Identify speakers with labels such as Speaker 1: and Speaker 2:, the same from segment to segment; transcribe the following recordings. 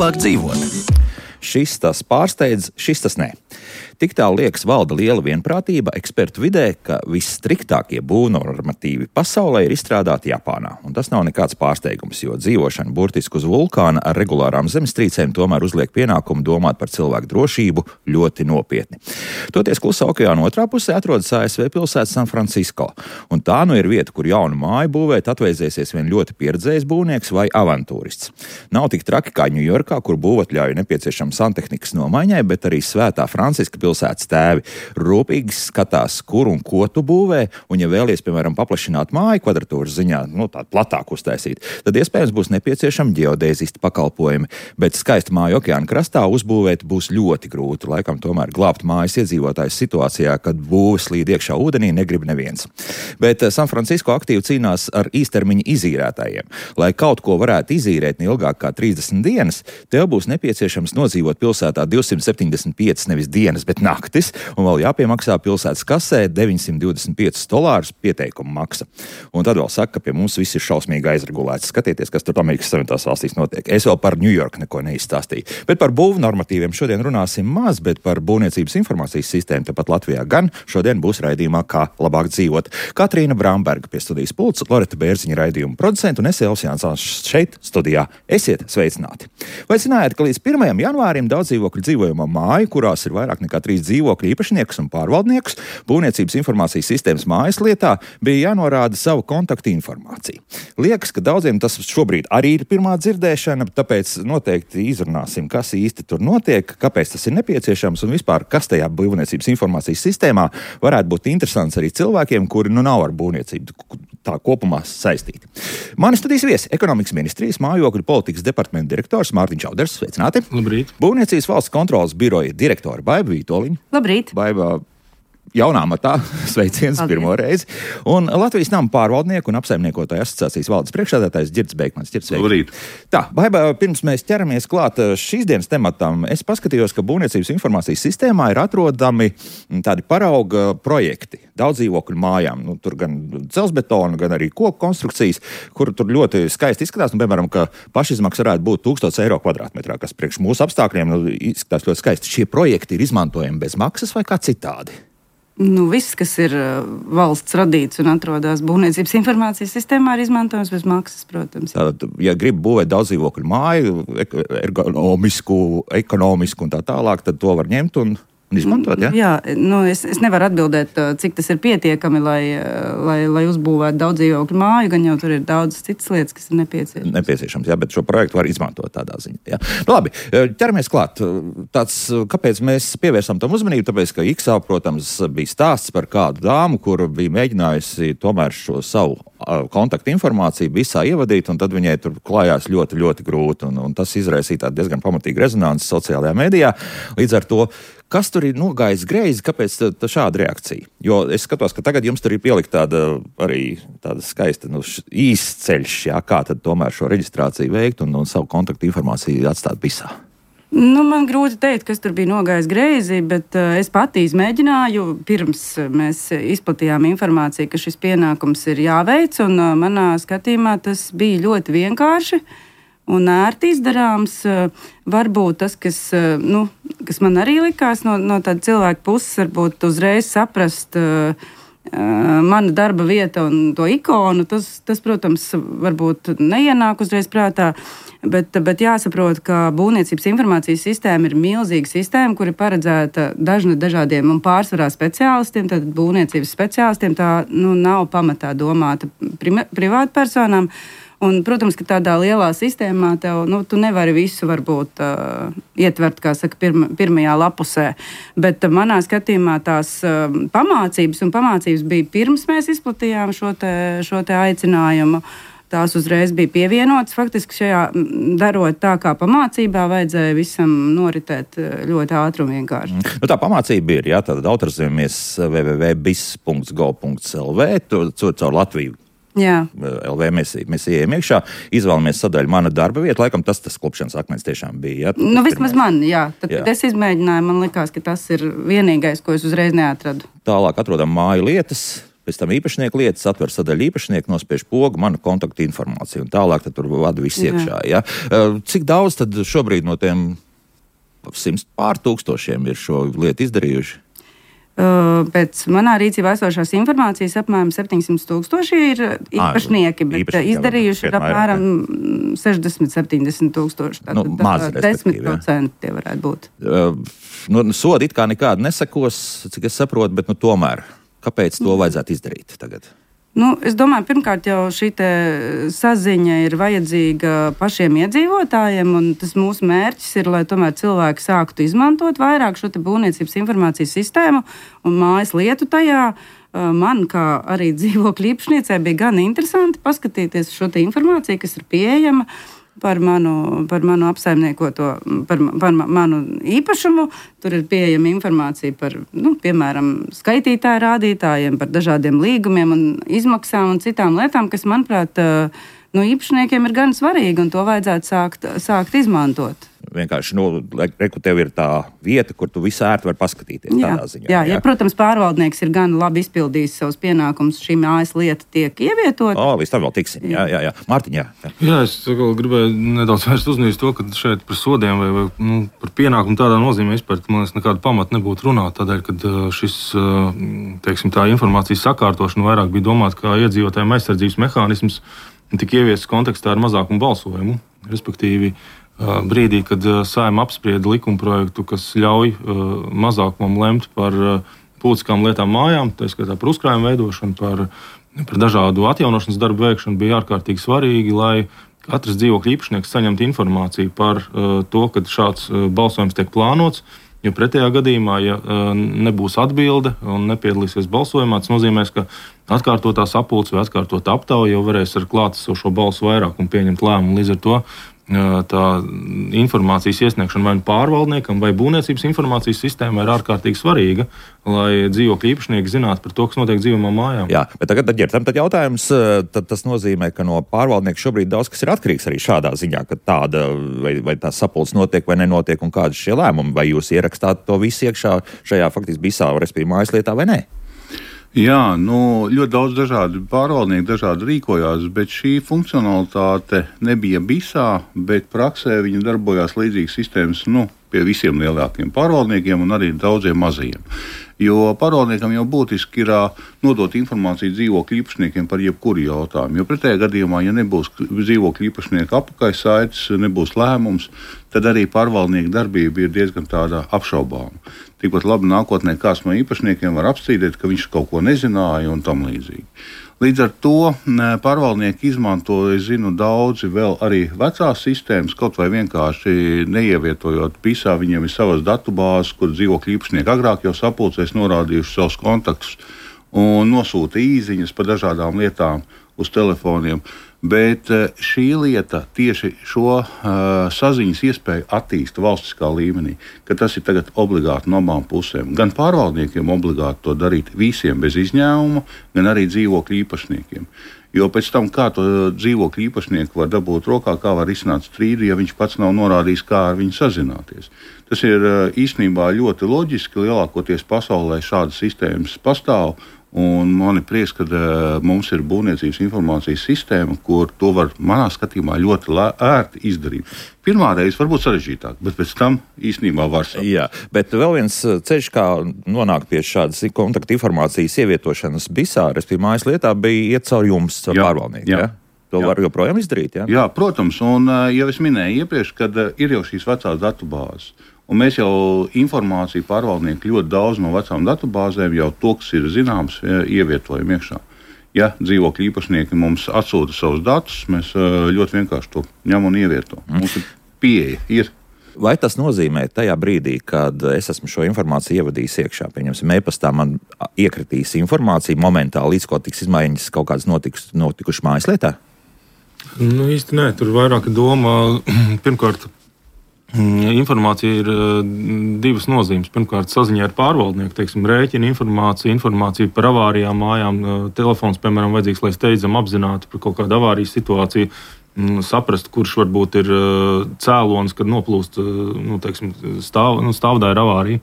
Speaker 1: labāk dzīvot. Šis tas pārsteidz, šis tas nē. Tik tālu liekas valda liela vienprātība ekspertu vidē, ka visstriktākie būvnormatīvi pasaulē ir izstrādāti Japānā. Un tas nav nekāds pārsteigums, jo dzīvošana burtiski uz vulkāna ar regulārām zemestrīcēm tomēr uzliek pienākumu domāt par cilvēku drošību ļoti nopietni. Toties Klusā okeāna otrā pusē atrodas ASV pilsēta San Francisco. Un tā nu ir vieta, kur jaunu māju būvēt atvēzēsies vien ļoti pieredzējis būvnieks vai avantūrists. Nav tik traki kā Ņujorkā, kur būvatļauju nepieciešama santehnikas nomaiņai, bet arī Svētā Franciska pilsētas tēvi rūpīgi skatās, kur un ko tu būvē, un ja vēlies, piemēram, paplašināt māju kvadratūras ziņā, tādu platāku uztaisīt, tad iespējams būs nepieciešami ģeodēzisti pakalpojumi, bet skaistu māju okeāna krastā uzbūvēt būs ļoti grūti, laikam tomēr glābt mājas iedzīvotājus situācijā, kad būve slīd iekšā ūdenī negrib neviens. Bet San Francisco aktīvi cīnās ar īstermiņa izīrētājiem. Lai kaut ko varētu izīrēt neilgāk kā 30 dienas, tev būs nepieciešams nodzīvot pilsētā 275 nevis dienas, bet naktis, un vēl jāpiemaksā pilsētas kasē $925 pieteikuma maksa. Un tad vēl saka, ka pie mums viss ir šausmīgi aizregulēts. Skatieties, kas tur Amerikas Savienotās valstīs notiek. Es vēl par Ņujorku neko neizstāstīju. Bet par būvu normatīviem šodien runāsim maz, bet par būvniecības informācijas sistēmu tepat Latvijā gan šodien būs raidījumā Kā labāk dzīvot. Katrīna Bramberga pie studijas pults, Loreta Bērziņa raidījuma producenta un es Elvis Jansons šeit studijā. Esiet sveicināti! Vai zinājāt, ka līdz 1. janvārim daudz dzīvokļu dzīvojamā māja, kurās ir vairāk nekā 3 dzīvokļu īpašniekus un pārvaldniekus, būvniecības informācijas sistēmas mājas lietā bija jānorāda savu kontaktu informāciju. Liekas, ka daudziem tas šobrīd arī ir pirmā dzirdēšana, tāpēc noteikti izrunāsim, kas īsti tur notiek, kāpēc tas ir nepieciešams un vispār, kas tajā būvniecības informācijas sistēmā varētu būt interesants arī cilvēkiem, kuri nav ar būvniecību tā kopumā saistīti. Mani studijas viesi ekonomikas ministrijas mājokļu politikas departamenta direktors Mārtiņš Auders. Sveicināti!
Speaker 2: Labrīt!
Speaker 1: Būvniecības valsts kontrolas biroja direktora Baiba Vītoliņa.
Speaker 3: Labrīt!
Speaker 1: Baiba jaunā matā, sveiciens pirmo reizi. Un Latvijas nama pārvaldnieku un apsaimniekotāju asociācijas valdes priekšsēdētājs Ģirds Beikmans.
Speaker 2: Labrīt!
Speaker 1: Tā, Baiba, pirms mēs ķeramies klāt šīs dienas tematam, es paskatījos, ka būvniecības informācijas sistēmā ir atrodami tādi parauga projekti daudz dzīvokļu mājām. Tur gan celsbetona, gan arī koku konstrukcijas, kur tur ļoti skaisti izskatās. Piemēram, ka pašizmaksa varētu būt €1000 kvadrātmetrā, kas priekš mūsu apstākļiem izskatās ļoti skaisti. Šie projekti ir izmantojami bez maksas vai kā citādi?
Speaker 3: Viss, kas ir valsts radīts un atrodas būvniecības informācijas sistēmā, ir izmantojams bez maksas, protams.
Speaker 1: Tātad, ja grib būvēt daudz dzīvokļu māju, ekonomisku un tā tālāk, tad to var ņemt un izmantot, ja?
Speaker 3: Jā, es nevaru atbildēt, cik tas ir pietiekami, lai uzbūvētu daudz dzīvokļu māju, gan jau tur ir daudz citas lietas, kas ir nepieciešams.
Speaker 1: Jā, bet šo projektu var izmantot tādā ziņā. Jā. Labi, ķeramies klāt. Kāpēc mēs pievērsām tam uzmanību? Tāpēc, ka Iksā, protams, bija stāsts par kādu dāmu, kur bija mēģinājusi tomēr šo savu kontaktu informāciju visā ievadīt, un tad viņai tur klājās ļoti, ļoti grūti, un tas izraisīja tādu diezgan pamatīgu rezonanci sociālajā medijā. Līdz ar to, kas tur ir nogājis greizi, kāpēc šāda reakcija? Jo es skatos, ka tagad jums tur ir pielikt tāda skaista īsts ceļš, jā, kā tad tomēr šo reģistrāciju veikt un savu kontaktu informāciju atstāt visā.
Speaker 3: Man grūti teikt, kas tur bija nogājis greizi, bet es pati izmēģināju, pirms mēs izplatījām informāciju, ka šis pienākums ir jāveic, un manā skatījumā tas bija ļoti vienkārši un ērti izdarāms. Varbūt tas, kas man arī likās no tāda cilvēka puses, varbūt uzreiz saprast mana darba vieta un to ikonu, tas protams, varbūt neienāk uzreiz prātā, bet jāsaprot, ka būvniecības informācijas sistēma ir milzīga sistēma, kur ir paredzēta dažādiem un pārsvarā speciālistiem, tad būvniecības speciālistiem, tā nav pamatā domāta privātpersonām. Un, protams, ka tādā lielā sistēmā tu nevari visu varbūt ietvert, kā saka, pirmajā lapusē. Bet manā skatījumā tās pamācības bija pirms mēs izplatījām šo te aicinājumu. Tās uzreiz bija pievienotas. Faktiski šajā darot tā kā pamācībā, vajadzēja visam noritēt ļoti ātri un vienkārši.
Speaker 1: Tā pamācība ir, jā, tātad autorizējamies www.bis.gov.lv, caur Latviju.
Speaker 3: Jā.
Speaker 1: LV mēs ejam iekšā, izvēlamies sadaļu mana darba vieta. Laikam tas klupšanas akmens tiešām bija. Jā,
Speaker 3: vismaz man, jā. Tad es izmēģināju, man likās, ka tas ir vienīgais, ko es uzreiz neatradu.
Speaker 1: Tālāk atrodam māju lietas. Pēc tam īpašnieku lietas atver sadaļu īpašnieku, nospiež pogu, manu kontaktu informāciju, un tālāk tad tur vada viss iekšā. Ja? Cik daudz tad šobrīd no tiem 100 pār tūkstošiem ir šo lietu izdarījuši?
Speaker 3: Pēc manā rīcībā esošās informācijas apmēram 700,000 ir īpašnieki, bet izdarījuši ir apmēram 60-70 tūkstoši.
Speaker 1: Maz,
Speaker 3: 10% tie varētu būt.
Speaker 1: Sodi it kā nekādi nesakos, cik es saprotu, bet tomēr, kāpēc to vajadzētu izdarīt tagad?
Speaker 3: Es domāju, pirmkārt jau šī saziņa ir vajadzīga pašiem iedzīvotājiem, un tas mūsu mērķis ir, lai tomēr cilvēki sāktu izmantot vairāk šo būvniecības informācijas sistēmu un mājas lietu tajā. Man, kā arī dzīvokļu īpašniecei, bija gan interesanti paskatīties šo informāciju, kas ir pieejama par manu apsaimniekoto, par manu īpašumu. Tur ir pieejama informācija par, piemēram, skaitītāju rādītājiem, par dažādiem līgumiem un izmaksām un citām lietām, kas, manuprāt, īpašniekiem ir gan svarīgi, un to vajadzētu sākt izmantot.
Speaker 1: Vienkārši, tev ir tā vieta, kur tu visu ērti vari paskatīties tādā ziņā.
Speaker 3: Jā, protams, pārvaldnieks ir gan labi izpildījis savus pienākumus, šī mājas lieta tiek ievietota.
Speaker 1: Līdz tam vēl tiksim. Jā. Mārtiņ, jā.
Speaker 2: Jā, es gribēju nedaudz vērst uzmanību to, ka šeit par sodiem vai par pienākumu tādā nozīmē vispār, man liekas, nekāda pamata nebūtu runāt, tādēļ, kad šis, teiksim, tā informācijas sakārtošana vairāk bija domāta kā iedzīvotājiem aizsardzības mehānisms, tika ieviests kontekstā ar mazākumu balsojumu, respektīvi brīdī, kad Saeima apsprieda likumprojektu, kas ļauj mazākumam lemt par publiskām lietām mājām, tā skaitā par uzkrājumu veidošanu, par dažādu atjaunošanas darbu veikšanu, bija ārkārtīgi svarīgi, lai katrs dzīvokļu īpašnieks saņemtu informāciju par to, kad šāds balsojums tiek plānots, jo pretējā gadījumā, ja nebūs atbilde un nepiedalīsies balsojumā, tas nozīmēs, ka atkārtotā sapulce vai atkārtotā aptauja jau varēs ar klātesošo balsu vairākumu pieņemt lēmumu. Līdz ar to tā informācijas iesniegšana vai pārvaldniekam vai būvniecības informācijas sistēmai ir ārkārtīgi svarīga, lai dzīvokļu īpašnieki zinātu par to, kas notiek dzīvojamā mājā.
Speaker 1: Jā, bet tagad jautājums, tas nozīmē, ka no pārvaldnieka šobrīd daudz kas ir atkarīgs arī šādā ziņā, ka tāda vai tā sapulce notiek vai nenotiek un kādi šie lēmumi, vai jūs ierakstāt to visu iekšā šajā faktiski bisā, respektīvi mājas lietā vai nē?
Speaker 4: Jā, ļoti daudz dažādi pārvaldnieki dažādi rīkojās, bet šī funkcionalitāte nebija bisā, bet praksē viņa darbojās līdzīgas sistēmas pie visiem lielākiem pārvaldniekiem un arī daudziem mazajiem. Jo pārvaldniekam jau būtiski ir nodot informāciju dzīvokļu īpašniekiem par jebkuru jautājumu. Jo pretējā gadījumā, ja nebūs dzīvokļu īpašnieku apakšsaites, nebūs lēmums, tad arī pārvaldnieku darbība ir diezgan tāda apšaubāma. Tikpat labi nākotnē kāds no īpašniekiem var apstrīdēt, ka viņš kaut ko nezināja un tam līdzīgi. Līdz ar to pārvaldnieki izmanto, es zinu, daudzi vēl arī vecās sistēmas, kaut vai vienkārši neievietojot pisā, viņiem ir savas datubāzes, kur dzīvokļu īpašnieki agrāk jau sapulcēs norādījuši savus kontaktus un nosūta īziņas par dažādām lietām uz telefoniem. Bet šī lieta tieši šo saziņas iespēju attīsta valstiskā līmenī, ka tas ir tagad obligāti no abām pusēm. Gan pārvaldniekiem obligāti to darīt visiem bez izņēmuma, gan arī dzīvokļu īpašniekiem. Jo pēc tam, kā to dzīvokļu īpašnieku var dabūt rokā, kā var risināt strīdu, ja viņš pats nav norādījis, kā ar viņu sazināties. Tas ir īstenībā ļoti loģiski, lielākoties pasaulē šādas sistēmas pastāv. Un man ir prieks, ka mums ir būvniecības informācijas sistēma, kur to var, manā skatījumā, ļoti ērti izdarīt. Pirmā reize varbūt sarežģītāk, bet pēc tam īstenībā var saprast.
Speaker 1: Jā, bet vēl viens ceļš, kā nonākt pie šādas kontaktu informācijas ievietošanas bisā, respektīvi mājas lietā, bija iet caur jums, caur pārvaldnieku. Jā. To var joprojām izdarīt, jā?
Speaker 4: Jā, protams, un jau es minēju iepriekš, kad ir jau šīs vecās datubāzes. Un mēs jau informāciju pārvaldnieki ļoti daudz no vecām datubāzēm jau to, kas ir zināms, ievietojam iekšā. Ja dzīvokļu īpašnieki mums atsūta savus datus, mēs ļoti vienkārši to ņem un ievieto. Mums ir pieeja.
Speaker 1: Vai tas nozīmē tajā brīdī, kad es esmu šo informāciju ievadījis iekšā, pieņemsim, e-pastā man iekritīs informācija momentā, līdz ko tiks izmaiņas kaut kādas notikušas mājas lietā?
Speaker 2: Īsti nē, tur vairāk doma, pirmkārt, informācija ir divas nozīmes. Pirmkārt, saziņā ar pārvaldnieku, teiksim, rēķina informācija par avārijām mājām. Telefons, piemēram, vajadzīgs, lai steidzam apzinātu par kaut kādu avārijas situāciju, saprast, kurš varbūt ir cēlonis, kad noplūst, teiksim, stāvdaļa avārija.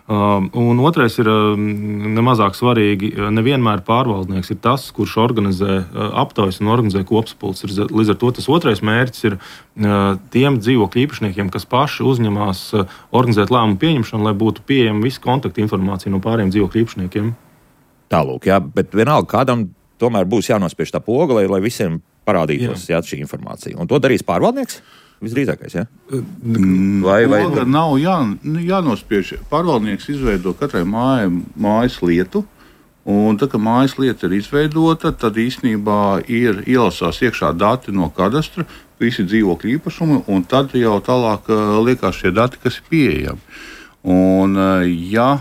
Speaker 2: Un otrais ir nemazāk svarīgi. Nevienmēr pārvaldnieks ir tas, kurš organizē aptaujas un organizē kopsapulces. Līdz ar to tas otrais mērķis ir tiem dzīvokļu īpašniekiem, kas paši uzņemās organizēt lēmumu pieņemšanu, lai būtu pieejama visa kontakta informācija no pārējiem dzīvokļu īpašniekiem.
Speaker 1: Tālūk, jā, bet vienalga kādam tomēr būs jānospiež tā poga, lai visiem parādītos šī informācija. Un to darīs pārvaldnieks? Visdrīzākais, ja? Vai
Speaker 4: nav jānospiež. Pārvaldnieks izveido katrai mājas lietu, un tad, kad mājas lieta ir izveidota, tad īstenībā ir ielasās iekšā dati no kadastra, visi dzīvokļu īpašumi, un tad jau tālāk liekas šie dati, kas ir pieejami. Un, ja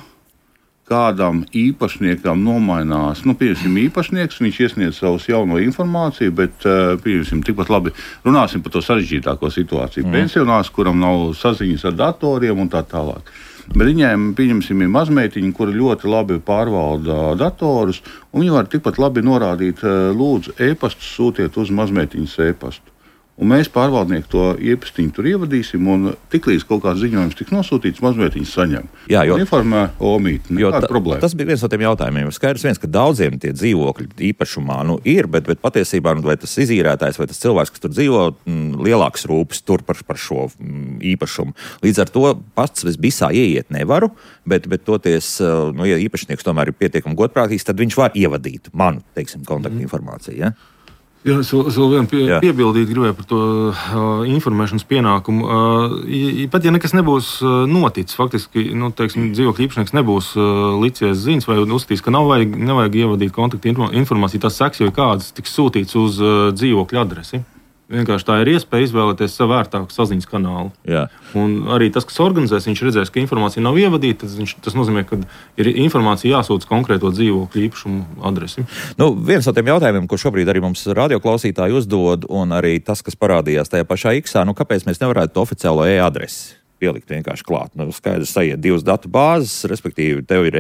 Speaker 4: kādam īpašniekam nomainās, pieņemsim īpašnieks, viņš iesniedz savus jauno informāciju, bet, pieņemsim, tikpat labi runāsim par to sarežģītāko situāciju. Pensionārs, kuram nav saziņas ar datoriem un tā tālāk. Bet viņiem, pieņemsim, ir mazmeitiņi, kuri ļoti labi pārvalda datorus, un viņi var tikpat labi norādīt, lūdzu, e-pastu sūtiet uz mazmeitiņas e-pastu. Un mēs pārvaldnieki to iepastiņu tur ievadīsim, un tiklīdz kaut kāds ziņojums tiks nosūtīts, mazmeitiņas saņem.
Speaker 1: Jā, jo
Speaker 4: informē omīti, nekāda problēma.
Speaker 1: Tas bija viens no tiem jautājumiem. Skaidrs, ka daudziem tie dzīvokļi īpašumā ir, bet patiesībā vai tas izīrētājs vai tas cilvēks, kas tur dzīvo, lielāks rūpes tur par šo īpašumu. Līdz ar to pats visā ieiet nevaru, bet toties, ja īpašnieks tomēr ir pietiekami godprātīgs, tad viņš var ievadīt manu, kontaktu informāciju. Ja?
Speaker 2: Jā, es vēl vienu piebildīt gribēju par to informēšanas pienākumu. Pat ja nekas nebūs noticis, faktiski, dzīvokļu īpašnieks nebūs licies ziņas vai uzskatīs, ka nevajag ievadīt kontaktu informāciju, tas seks jau ir kāds tiks sūtīts uz dzīvokļu adresi. Vienkārši tā ir iespēja izvēlēties sev vērtāku saziņas kanālu.
Speaker 1: Jā.
Speaker 2: Un arī tas, kas organizēs, viņš redzēs, ka informācija nav ievadīta. Tas nozīmē, ka ir informācija jāsūta konkrēto dzīvokļu īpašumu adresi.
Speaker 1: Viens no tiem jautājumiem, ko šobrīd arī mums radioklausītāji uzdod, un arī tas, kas parādījās tajā pašā X-ā, kāpēc mēs nevarētu oficiālo e-adresi pielikt vienkārši klāt. Skaidrs, sajiet divas datu bāzes, respektīvi, tev ir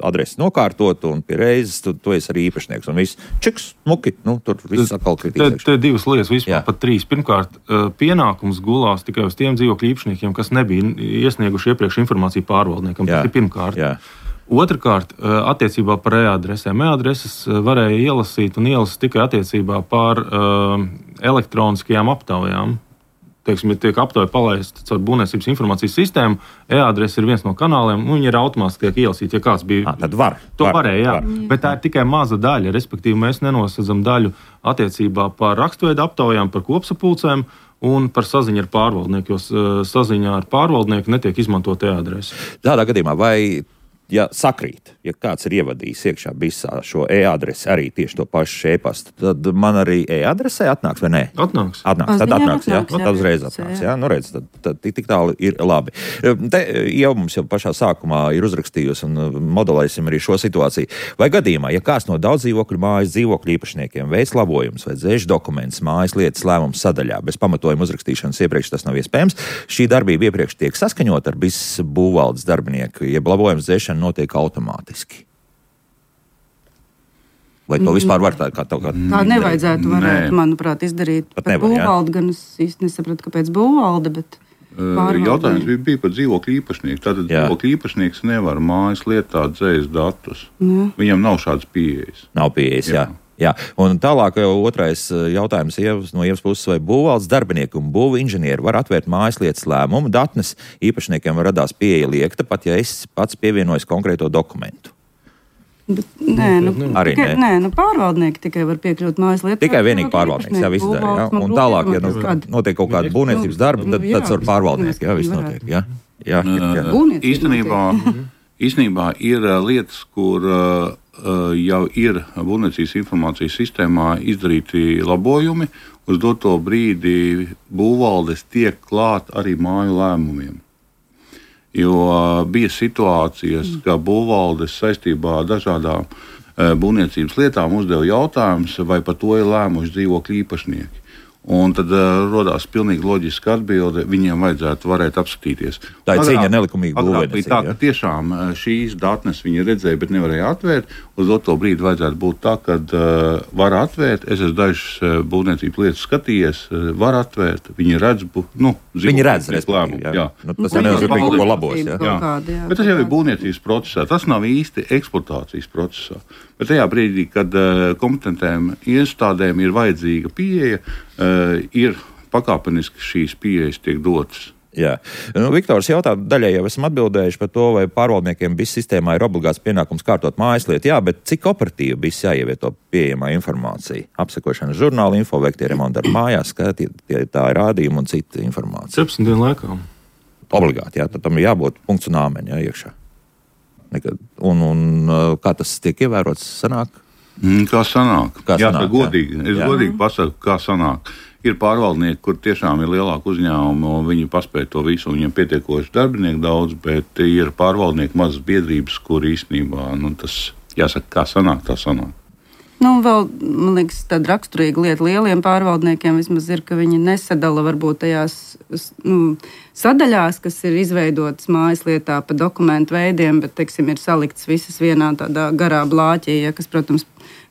Speaker 1: adrese nokārtot, un pie reizes tu esi arī īpašnieks. Un viss čiks, muki, tur viss atkal kritīgs.
Speaker 2: Te divas lietas, vispār pat trīs. Pirmkārt, pienākums gulās tikai uz tiem dzīvokļu īpašniekiem, kas nebija iesnieguši iepriekš informāciju pārvaldniekam. Tas ir pirmkārt.
Speaker 1: Jā.
Speaker 2: Otrakārt, attiecībā par e-adresēm. E-adreses varēja ielasīt un ielasīt tikai attiecībā par elektroniskajām aptaujām. Ja tiek aptauja palaista caur būvniecības informācijas sistēmu, e-adrese ir viens no kanāliem, un viņi ir automātiski tiek ielasīti, ja kāds bija.
Speaker 1: Tad var.
Speaker 2: Varēja, bet tā ir tikai maza daļa. Respektīvi, mēs nenosedzam daļu attiecībā par rakstveidu aptaujām, par kopsapulcēm un par saziņu ar pārvaldnieku, jo saziņā ar pārvaldnieku netiek izmantot e-adrese.
Speaker 1: Tādā gadījumā vai... Ja sakrīt, ja kāds ir ievadījis iekšā visā šo e-adresi, arī tieši to pašu e-pastu, tad man arī e-adresē atnāks vai nē?
Speaker 2: Atnāks.
Speaker 1: Tad atnāks, jā. Tad uzreiz atnāks, jā. Redz, tad tik tālu ir labi. Te jau mums jau pašā sākumā ir uzrakstījusi un modelēsim arī šo situāciju. Vai gadījumā, ja kāds no daudz dzīvokļu mājas dzīvokļu īpašniekiem veids labojumus vai dzēš dokumentus mājas lietas lēmumu sadaļā, bez pamatojuma uzrakstīšanas iepriekš tas nav iespējams, šī darbība iepriekš tiek saskaņot ar BIS būvvaldes darbinieku, jeb labojums dzēšana notiek automātiski. Vai to vispār var tā
Speaker 3: nevajadzētu, manuprāt, izdarīt par būvvaldi, gan es īsti nesapratu, kāpēc būvvalde, bet
Speaker 4: jautājums bija par dzīvokļu īpašnieku. Tātad dzīvokļu īpašnieks nevar mājas lietā dzēst datus. Viņam nav šādas pieejas.
Speaker 1: Nav pieejas, jā. Un tālāk otrais jautājums no Ievas puses, vai būvvaldes darbinieki un būvu inženieri var atvērt mājas lietas lēmumu datnes, īpašniekiem radās pieeja liekta, pat ja es pats pievienojos konkrēto dokumentu.
Speaker 3: Pārvaldnieki tikai var piekļūt mājas lietām.
Speaker 1: Tikai vienīgi pārvaldnieks, jā, viss dara, jā. Un tālāk, ja notiek kaut kāda būvniecības darba, tad ar pārvaldnieki, jā, viss notiek, jā.
Speaker 4: Īstenībā ir lietas, kur jau ir būvniecības informācijas sistēmā izdarīti labojumi. Uz doto brīdi būvvaldes tiek klāt arī māju lēmumiem. Jo bija situācijas, ka būvvaldes saistībā ar dažādām būvniecības lietām uzdeva jautājumus, vai par to ir lēmuši dzīvokļu īpašnieki. Un tad rodās pilnīgi loģiska atbilde, viņiem vajadzētu varēt apskatīties.
Speaker 1: Tā ir cīņa nelikumīgi
Speaker 4: būvēniecība. Tā, ka tiešām šīs datnes viņi redzēja, bet nevarēja atvērt. Uz to brīdi vajadzētu būt tā, ka var atvērt. Es esmu dažas būvniecības lietas skatījies, var atvērt. Viņi redz,
Speaker 1: viņi redz lēmumu. Jā. Tas nenozīmē, ka kaut ko labos.
Speaker 4: Bet tas jau ir būvniecības procesā. Tas nav īsti eksploatācijas procesā. Bet tajā brīdī, kad kompetentēm iestādēm ir vajadzīga pieeja, ir pakāpeniski šīs pieejas tiek dotas.
Speaker 1: Jā. Viktors jautā, daļai jau esam atbildējuši par to, vai pārvaldniekiem BIS sistēmā ir obligāts pienākums kārtot mājaslietu. Jā, bet cik operatīvi BIS jāievieto pieejamā informācija? Apsekošana žurnāla info, veiktie remonti ar mājās, tā ir rādījuma un cita informācija.
Speaker 2: 17 dienu laikā.
Speaker 1: Obligāti, jā, tad tam ir jābūt punkts un āmeņi, jā, iekšā. Un kā tas tiek ievērots, sanāk?
Speaker 4: Kā sanāk? Jā, tā godīgi. Es godīgi pasaku, kā sanāk. Ir pārvaldnieki, kur tiešām ir lielāka uzņēmuma, un viņi paspēj to visu, un viņiem pietiekoši darbinieku daudz, bet ir pārvaldnieki mazas biedrības, kur īstenībā, tas jāsaka, kā sanāk, tā sanāk.
Speaker 3: Vēl, man liekas, tāda raksturīga lieta lieliem pārvaldniekiem vismaz ir, ka viņi nesadala varbūt tajās sadaļās, kas ir izveidotas mājaslietā pa dokumentu veidiem, bet, teiksim, ir salikts visas vienā tādā garā blāķī, kas, protams,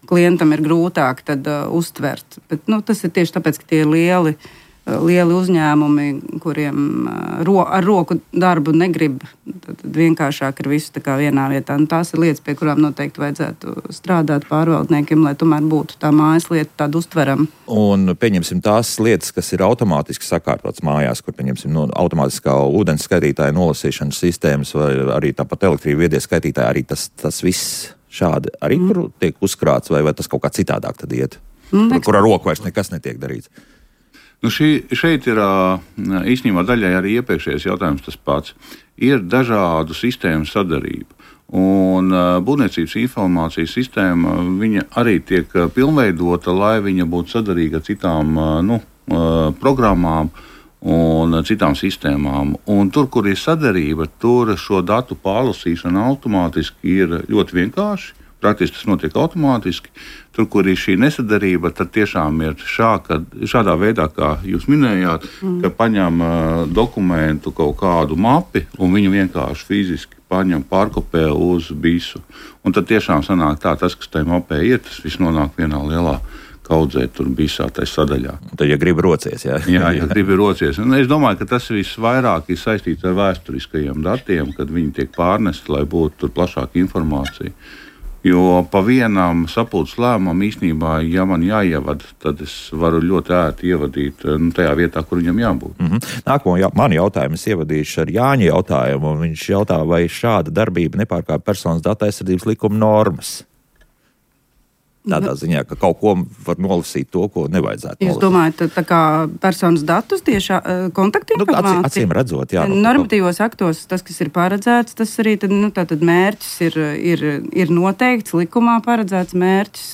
Speaker 3: klientam ir grūtāk tad uztvert. Bet, tas ir tieši tāpēc, ka tie ir lieli uzņēmumi, kuriem ar roku darbu negrib, tad vienkāršāk ir visu tā kā vienā vietā. Tās ir lietas, pie kurām noteikti vajadzētu strādāt pārvaldniekiem, lai tomēr būtu tā mājaslieta tāda uztverama.
Speaker 1: Un pieņemsim tās lietas, kas ir automātiski sakārtotas mājās, kur pieņemsim automātiskā ūdens skaitītāja nolasīšanas sistēmas vai arī tāpat elektrība viedie skaitītāji, arī tas viss šādi arī tur tiek uzkrāts vai tas kaut kā citādāk tad iet, kur ar roku vairs nekas netiek darīts.
Speaker 4: Šeit ir īstenībā daļai arī iepriekšējais jautājums tas pats. Ir dažādu sistēmu sadarība. Un būvniecības informācijas sistēma viņa arī tiek pilnveidota, lai viņa būtu sadarīga ar citām programmām un citām sistēmām. Un tur, kur ir sadarība, tur šo datu pārlasīšana automātiski ir ļoti vienkārši. Praktiski tas notiek automātiski. Tur, kur ir šī nesadarība, tad tiešām ir šādā veidā, kā jūs minējāt, ka paņem dokumentu kaut kādu mapi un viņu vienkārši fiziski paņem, pārkopē uz BIS-u. Un tad tiešām sanāk tā, tas, kas tajā mapē ir, tas viss nonāk vienā lielā kaudzē, tur BIS-ā tajā sadaļā.
Speaker 1: Un tad, ja grib rocies, jā.
Speaker 4: Jā, ja grib rocies. Un es domāju, ka tas visvairāk ir saistīts ar vēsturiskajiem datiem, kad viņi tiek pārnesti, lai būtu tur plašāka informācija. Jo pa vienam sapulces lēmumam īstenībā, ja man jāievada, tad es varu ļoti ērti ievadīt tajā vietā, kur viņam jābūt.
Speaker 1: Nākamo manu jautājumu es ievadīšu ar Jāņa jautājumu, un viņš jautā, vai šāda darbība nepārkāpj personas datu aizsardzības likuma normas. Tādā ziņā, ka kaut ko var nolasīt to, ko nevajadzētu nolasīt.
Speaker 3: Jūs domājat, tā kā personas datus tieši kontaktinformācija?
Speaker 1: Acīm redzot, jā.
Speaker 3: Normatīvos aktos tas, kas ir paredzēts, tas arī tātad mērķis ir noteikts, likumā paredzēts mērķis,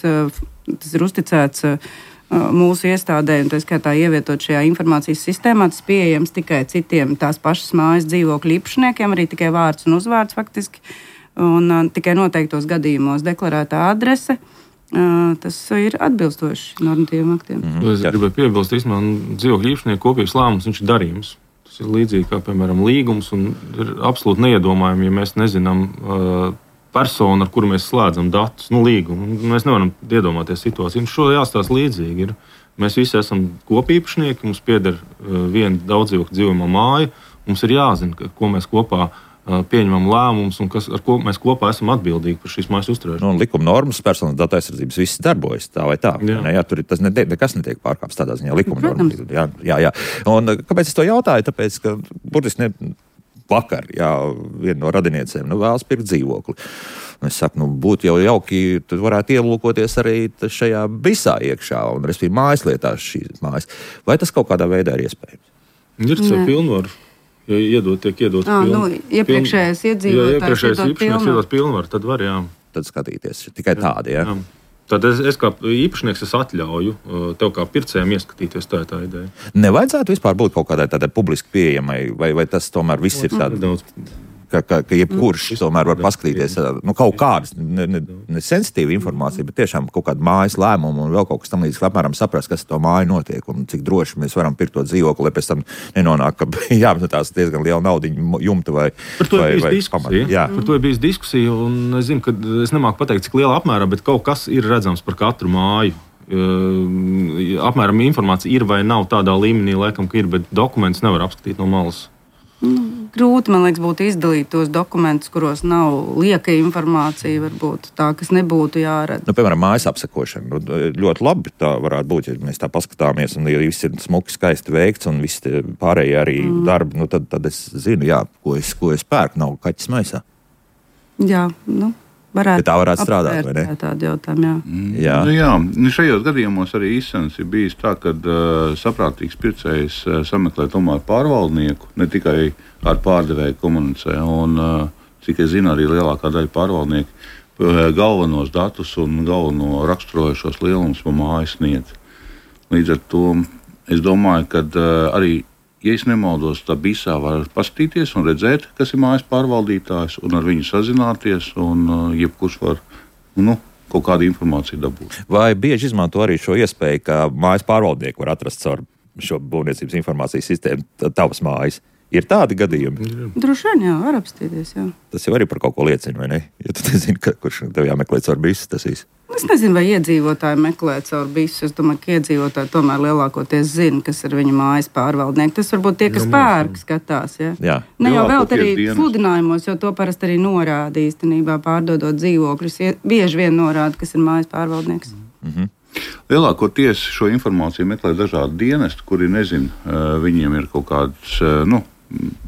Speaker 3: tas ir uzticēts mūsu iestādē, un tā skaitā ievietot šajā informācijas sistēmā, tas pieejams tikai citiem tās pašas mājas dzīvokļu īpašniekiem, arī tikai vārds un uzvārds faktiski, un tikai noteiktos gadījumos deklarētā adrese. Tas ir atbilstoši normatīviem aktiem.
Speaker 2: Es gribēju piebilst, īstenībā dzīvokļu īpašnieku kopības lēmums, viņš ir darījums. Tas ir līdzīgi kā, piemēram, līgums, un ir absolūti neiedomājami, ja mēs nezinām personu, ar kuru mēs slēdzam datus, līgumu. Mēs nevaram iedomāties situāciju. Šo jāstāsta līdzīgi ir. Mēs visi esam kopīpašnieki, mums pieder viena daudzdzīvokļu dzīvojamā māja, mums ir jāzina, ko mēs kopā pieņemam lēmumus un ar ko mēs kopā esam atbildīgi par šīs mājas uzturēšanu.
Speaker 1: Likuma normas, personas datu aizsardzības viss darbojas tā vai tā. Jā, tur tas nekas netiek pārkāpts tādā ziņā likuma normas. Jā. Un kāpēc es to jautāju? Tāpēc, ka burtiski vakar, viena no radiniecēm vēlas pirkt dzīvokli. Un es saku, būtu jau jauki, tad varētu ielūkoties arī šajā BIS-ā iekšā un respektīvi mājaslietās šīs mājas. Vai tas kaut kādā veidā ir iespējams?
Speaker 2: Ir tas pilnvaru. Ja tiek iedot
Speaker 3: iepriekšējais
Speaker 2: īpašnieks iedot pilnvaru, tad var, jā.
Speaker 1: Tad skatīties tikai tādi, jā.
Speaker 2: Tad es kā īpašnieks atļauju tev kā pircējiem ieskatīties, tā ir tā ideja.
Speaker 1: Nevajadzētu vispār būt kaut kādai tādai publiski pieejamai, vai tas tomēr viss ir tāds? ka jebkurš tomēr var paskatīties kaut kādas ne sensitīva informācija, bet tiešām kaut kāda mājas lēmuma un vēl kaut kas tam līdzīgs, apmēram saprast, kas ar to māju notiek un cik droši mēs varam pirkt to dzīvokli, lai pēc tam nenonāk, ka jāapmetās diezgan liela naudiņa jumta vai
Speaker 2: pamata. Par to ir bijis diskusija, un es zinu, ka es nemāku pateikt, cik lielā apmērā, bet kaut kas ir redzams par katru māju. Apmēram informācija ir vai nav tādā līmenī, laikam, ka ir, bet dokumentus nevar apskatīt no malas.
Speaker 3: Grūti, man liekas, būtu izdalīt tos dokumentus, kuros nav lieka informācija, varbūt tā, kas nebūtu jāredz.
Speaker 1: Piemēram, mājas apsekošana. Ļoti labi tā varētu būt, ja mēs tā paskatāmies, un ja viss ir smuki, skaisti veikts, un viss pārējie arī darbi, tad es zinu, ko es pērku, nav kaķis maisā.
Speaker 3: Jā, varētu.
Speaker 1: Tā varētu strādāt, vai ne?
Speaker 3: Tādu jautājumu,
Speaker 4: jā. Šajos gadījumos arī izsens ir bijis tā, ka saprātīgs pircējs sameklē tomēr pārvaldnieku, ne tikai ar pārdevēju komunicē. Un, cik es zinu, arī lielākā daļa pārvaldnieku galvenos datus un galveno raksturojošos lielumus pa māju sniedz. Līdz ar to es domāju, ka arī, ja es nemaldos, tā BISā var paskatīties un redzēt, kas ir mājas pārvaldītājs, un ar viņu sazināties, un jebkurš var kaut kādu informāciju dabūt.
Speaker 1: Vai bieži izmanto arī šo iespēju, ka mājas pārvaldnieku var atrast caur šo būvniecības informācijas sistēmu tavas mājas? Ir tādi gadījumi?
Speaker 3: Droši vien, jā, var apstīties, jā.
Speaker 1: Tas jau arī par kaut ko liecina, vai ne? Ja tu nezini, kurš tev jāmeklē caur BIS, tas viss.
Speaker 3: Es nezinu, vai iedzīvotāji meklē caur BIS. Es domāju, ka iedzīvotāji tomēr lielākoties zina, kas ir viņa mājas pārvaldnieki. Tas varbūt tie, kas pērk, skatās, jā. Ne jau vēl arī sludinājumos, jo to parasti arī norāda īstenībā pārdodot dzīvokļus. Bieži vien norāda, kas ir mājas pārvaldnieks.
Speaker 4: Lielākoties šo informāciju meklē dažādi dienesti, kuri nezin, viņiem ir kaut kāds,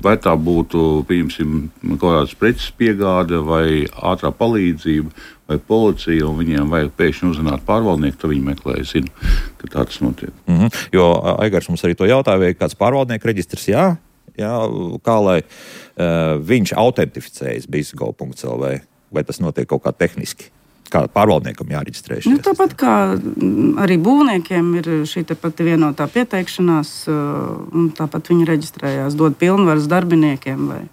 Speaker 4: vai tā būtu, pieņemsim, kaut kādas preces piegāde vai ātrā palīdzība vai policija, un viņiem vajag pēkšņi uzzināt pārvaldnieku, tad viņi meklē, zinu, ka tā tas notiek.
Speaker 1: Jo Aigars mums arī to jautāja, vai kāds pārvaldnieku reģistrs, jā, kā lai viņš autentificējas BIS.gov.lv, vai tas notiek kaut kā tehniski? Kā pārvaldniekam jāreģistrējas?
Speaker 3: Tāpat kā arī būvniekiem ir šī pati vienotā pieteikšanās, un tāpat viņi reģistrējās, dod pilnvaras darbiniekiem vai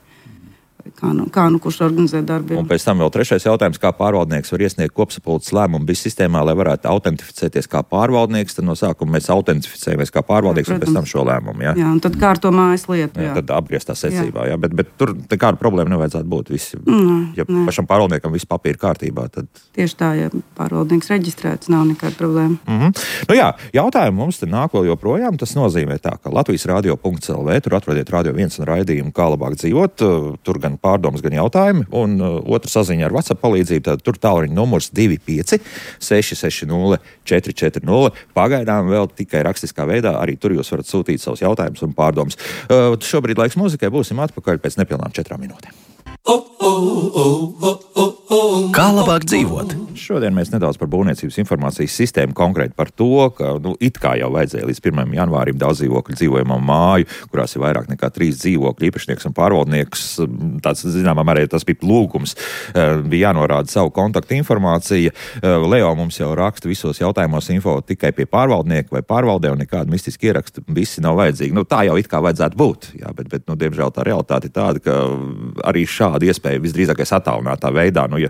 Speaker 3: kā kurš organizē darbu.
Speaker 1: Un pēc tam vēl trešais jautājums, kā pārvaldnieks var iesniegt kopsapulces lēmumu BIS sistēmā, lai varētu autentificēties kā pārvaldnieks, tad no sākuma mēs autentificējamies kā pārvaldnieks un pēc tam šo lēmumu. Jā,
Speaker 3: un tad kārto mājas lietu.
Speaker 1: Tad apgrieztā secībā, bet tur nekāda problēma nevajadzētu būt. Ja pašam pārvaldniekam viss papīra kārtībā, tad...
Speaker 3: Tieši tā, ja pārvaldnieks reģistrēts, nav nekāda problēma.
Speaker 1: Jautājumi mums te nāk vēl joprojām. Tas nozīmē tā, ka Latvijas radio.lv, tur atrodiet Radio 1 un raidījumu Kā labāk dzīvot, tur gan pārdomas, gan jautājumi, un otra saziņa ar WhatsApp palīdzību, tad tur tālruņa numurs 25 660 440. Pagaidām vēl tikai rakstiskā veidā, arī tur jūs varat sūtīt savus jautājumus un pārdomas. Šobrīd laiks muzikai, būsim atpakaļ pēc nepilnām 4 minūtēm. Kā labāk dzīvot? Šodien mēs nedaudz par būvniecības informācijas sistēmu, konkrēti par to, ka it kā jau vajadzēja līdz 1. janvārim daudz dzīvokļu dzīvojamā māju, kurās ir vairāk nekā 3 dzīvokļu īpašnieks un pārvaldnieks. Tāds, zināmā mērā, tas bija lūgums, bija jānorāda savu kontaktu informāciju. Leo mums jau raksta visos jautājumos info tikai pie pārvaldnieka vai pārvaldē, un nekāda mistiska ieraksta visi nav vajadzīgi. Tā jau it kā vajadzētu būt, jā, bet diemžēl tā realitāte ir tāda, ka arī šāda iespēja visdrīzākais attālinātā veidā. Ja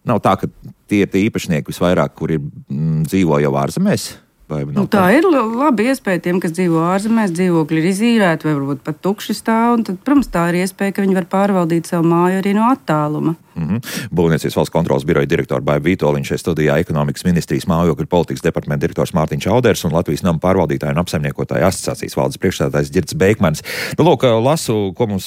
Speaker 1: nav tā, ka tie ir tie īpašnieki visvairāk, kuri dzīvo jau ārzemēs?
Speaker 3: Tā ir laba iespēja tiem, kas dzīvo ārzemēs, dzīvokļi ir izīrēti vai varbūt pat tukši stāv, un tad, protams, tā ir iespēja, ka viņi var pārvaldīt savu māju arī no attāluma.
Speaker 1: Būvniecības valsts kontrolas biroja direktora Baiba Vītoliņa šeit studijā, ekonomikas ministrijas mājokļu politikas departamenta direktors Mārtiņš Auders un Latvijas nama pārvaldītāju un apsaimniekotāju asociācijas valdes priekšsēdētājs Ģirds Beikmans. Lūk, lasu, ko mums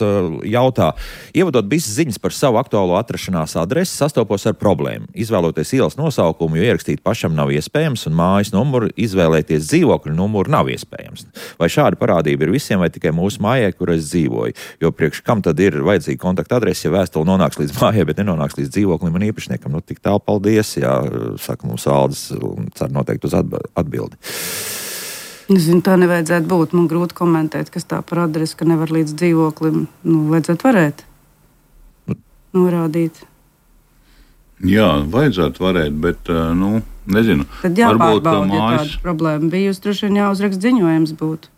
Speaker 1: jautā. Ievadot BIS ziņas par savu aktuālo atrašanās adresi, sastopos ar problēmu. Izvēloties ielas nosaukumu, jo ierakstīt pašam nav iespējams, un mājas numuru izvēlēties dzīvokļu numuru nav iespējams. Vai šāda parādība ir visiem vai tikai mūsu mājai, kur es dzīvoju? Jo priekš kam tad ir vajadzīga kontakta adrese, ja vēstule nonāks līdz mājai, bet nenonāks līdz dzīvoklim un īpašniekam? Tik tālu paldies, jā, saka mums Aldis, un cer noteikti uz atbildi.
Speaker 3: Es zinu, tā nevajadzētu būt. Man grūti komentēt, kas tā par adresi, ka nevar līdz dzīvoklim. Vajadzētu varēt norādīt.
Speaker 4: Jā, vajadzētu varēt, bet, nezinu.
Speaker 3: Tad jāpārbauda, ja tāda problēma bijusi, droši vien jāuzraksta ziņojums būtu.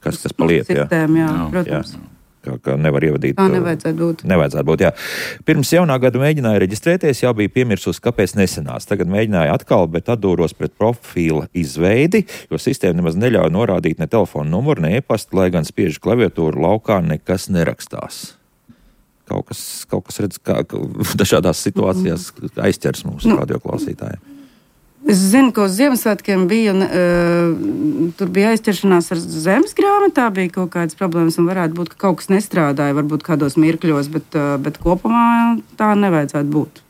Speaker 1: Kas pa lietu, jā.
Speaker 3: Sistēma, jā, protams. Jā.
Speaker 1: ka nevar ievadīt.
Speaker 3: Tā nevajadzētu būt.
Speaker 1: Jā. Pirms jaunā gada mēģināju reģistrēties, jau bija piemirsus, kāpēc nesenās. Tagad mēģināju atkal, bet atdūros pret profila izveidi, jo sistēma nemaz neļauj norādīt ne telefonu numuru, ne e-pastu, lai gan spiežu klaviatūru laukā nekas nerakstās. Kaut kas redz, kā dažādās situācijās aizķers mūsu radioklausītājiem.
Speaker 3: Es zinu, ka uz Ziemassvētkiem bija, tur bija aizķeršanās ar zemes grāmatā, bija kaut kādas problēmas un varētu būt, ka kaut kas nestrādāja, varbūt kādos mirkļos, bet kopumā tā nevajadzētu būt.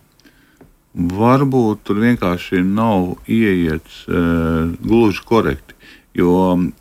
Speaker 4: Varbūt tur vienkārši nav ieiets gluži korekti, jo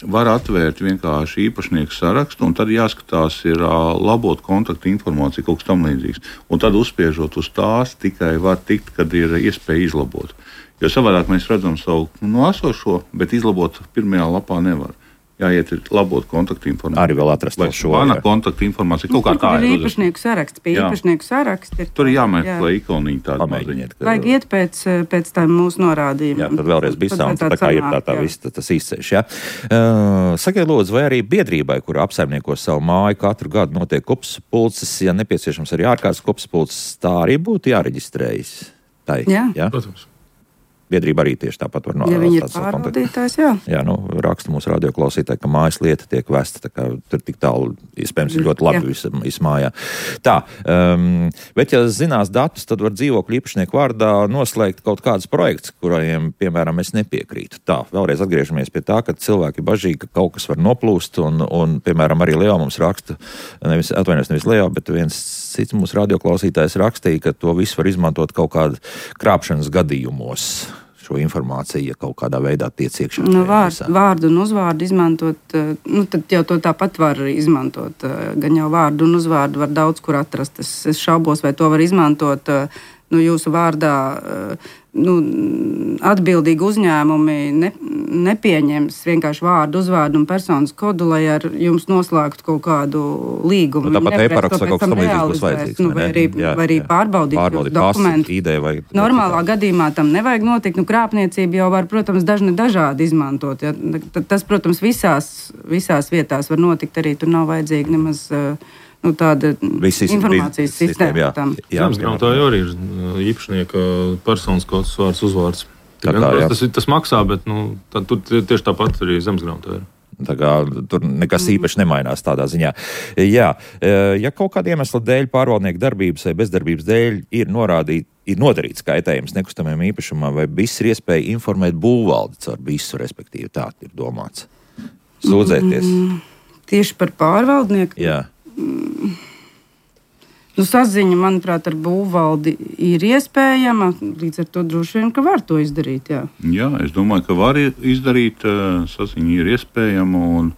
Speaker 4: var atvērt vienkārši īpašnieku sarakstu un tad jāskatās ir labot kontaktu informāciju, kaut kas tam līdzīgs. Un tad uzspiežot uz tās tikai var tikt, kad ir iespēja izlabot. Jo savādāk mēs redzam savu esošo, bet izlabot pirmajā lapā nevar. Jāiet labot kontaktu informāciju.
Speaker 1: Arī vēl atrast šo.
Speaker 4: Mana kontaktu informācija kaut kā tāda.
Speaker 3: Ir īpašnieku saraksts, pie īpašnieku saraksta.
Speaker 4: Tur ir jāmeklē ikoniņa tāda maziņa.
Speaker 3: Vajag iet pēc tām mūsu norādījumiem.
Speaker 1: Jā, tad vēlreiz bisām, tā kā ir tā viss, tas izceļš, jā. Sakiet, lūdzu, vai arī biedrībai, kura apsaimnieko savu māju, katru gadu notiek kopsapulces, ja nepieciešams arī ārkārtas kopsapulces, tā arī būtu jāreģistrējas? Tai,
Speaker 3: jā,
Speaker 2: protams.
Speaker 1: Biedrība arī tieši tāpat var
Speaker 3: ja viņi ir pārvaldītājs, jā.
Speaker 1: Jā, raksta mūsu radioklausītāji, ka mājas lieta tiek vesta, tā kā tur tik tālu, iespējams, ir ļoti labi vismājā. Tā, bet ja zinās datus, tad var dzīvokļu īpašnieku vārdā noslēgt kaut kādus projekts, kuriem, piemēram, es nepiekrītu. Tā, vēlreiz atgriežamies pie tā, ka cilvēki bažīgi, ka kaut kas var noplūst, un piemēram, arī Leo mums raksta, nevis Leo, bet viens cits mūsu radioklausītājs rakstīja, ka to visu var izmantot kaut kādu krāpšanas gadījumos. Šo informāciju, ja kaut kādā veidā tiec iekšā.
Speaker 3: Vārdu un uzvārdu izmantot, tad jau to tāpat var izmantot. Gan jau vārdu un uzvārdu var daudz kur atrast. Es šaubos, vai to var izmantot jūsu vārdā. Atbildīgi uzņēmumi nepieņems vienkārši vārdu, uzvārdu un personas kodu, lai ar jums noslēgtu kaut kādu līgumu.
Speaker 1: Tāpat e-paraksts vai kaut kas tam līdzīgs būs vajadzīgs.
Speaker 3: Vai arī pārbaudīt dokumentu. Normālā gadījumā tam nevajag notikt. Krāpniecība jau var, protams, dažādi izmantot. Ja. Tas, protams, visās vietās var notikt, arī tur nav vajadzīga nemaz tāda informācijas sistēma.
Speaker 2: Zemesgrāmatā jau arī ir īpašnieka personas kods, vārds, uzvārds. Tas maksā, bet tur tieši tāpat arī zemesgrāmatā ir.
Speaker 1: Tā kā tur nekas īpaši nemainās tādā ziņā. Jā, ja kaut kāda iemesla dēļ pārvaldnieku darbības vai bezdarbības dēļ ir nodarīts kaitējums nekustamajam īpašumam, vai viss ir iespēja informēt būvvaldi caur visu, respektīvi tā ir domāts. Sūdzēties.
Speaker 3: Tieši par pārvaldnieku?
Speaker 1: Jā.
Speaker 3: Saziņa, manuprāt, ar būvvaldi ir iespējama, līdz ar to droši vien, ka var to izdarīt, jā.
Speaker 4: Jā, es domāju, ka var izdarīt, saziņa ir iespējama un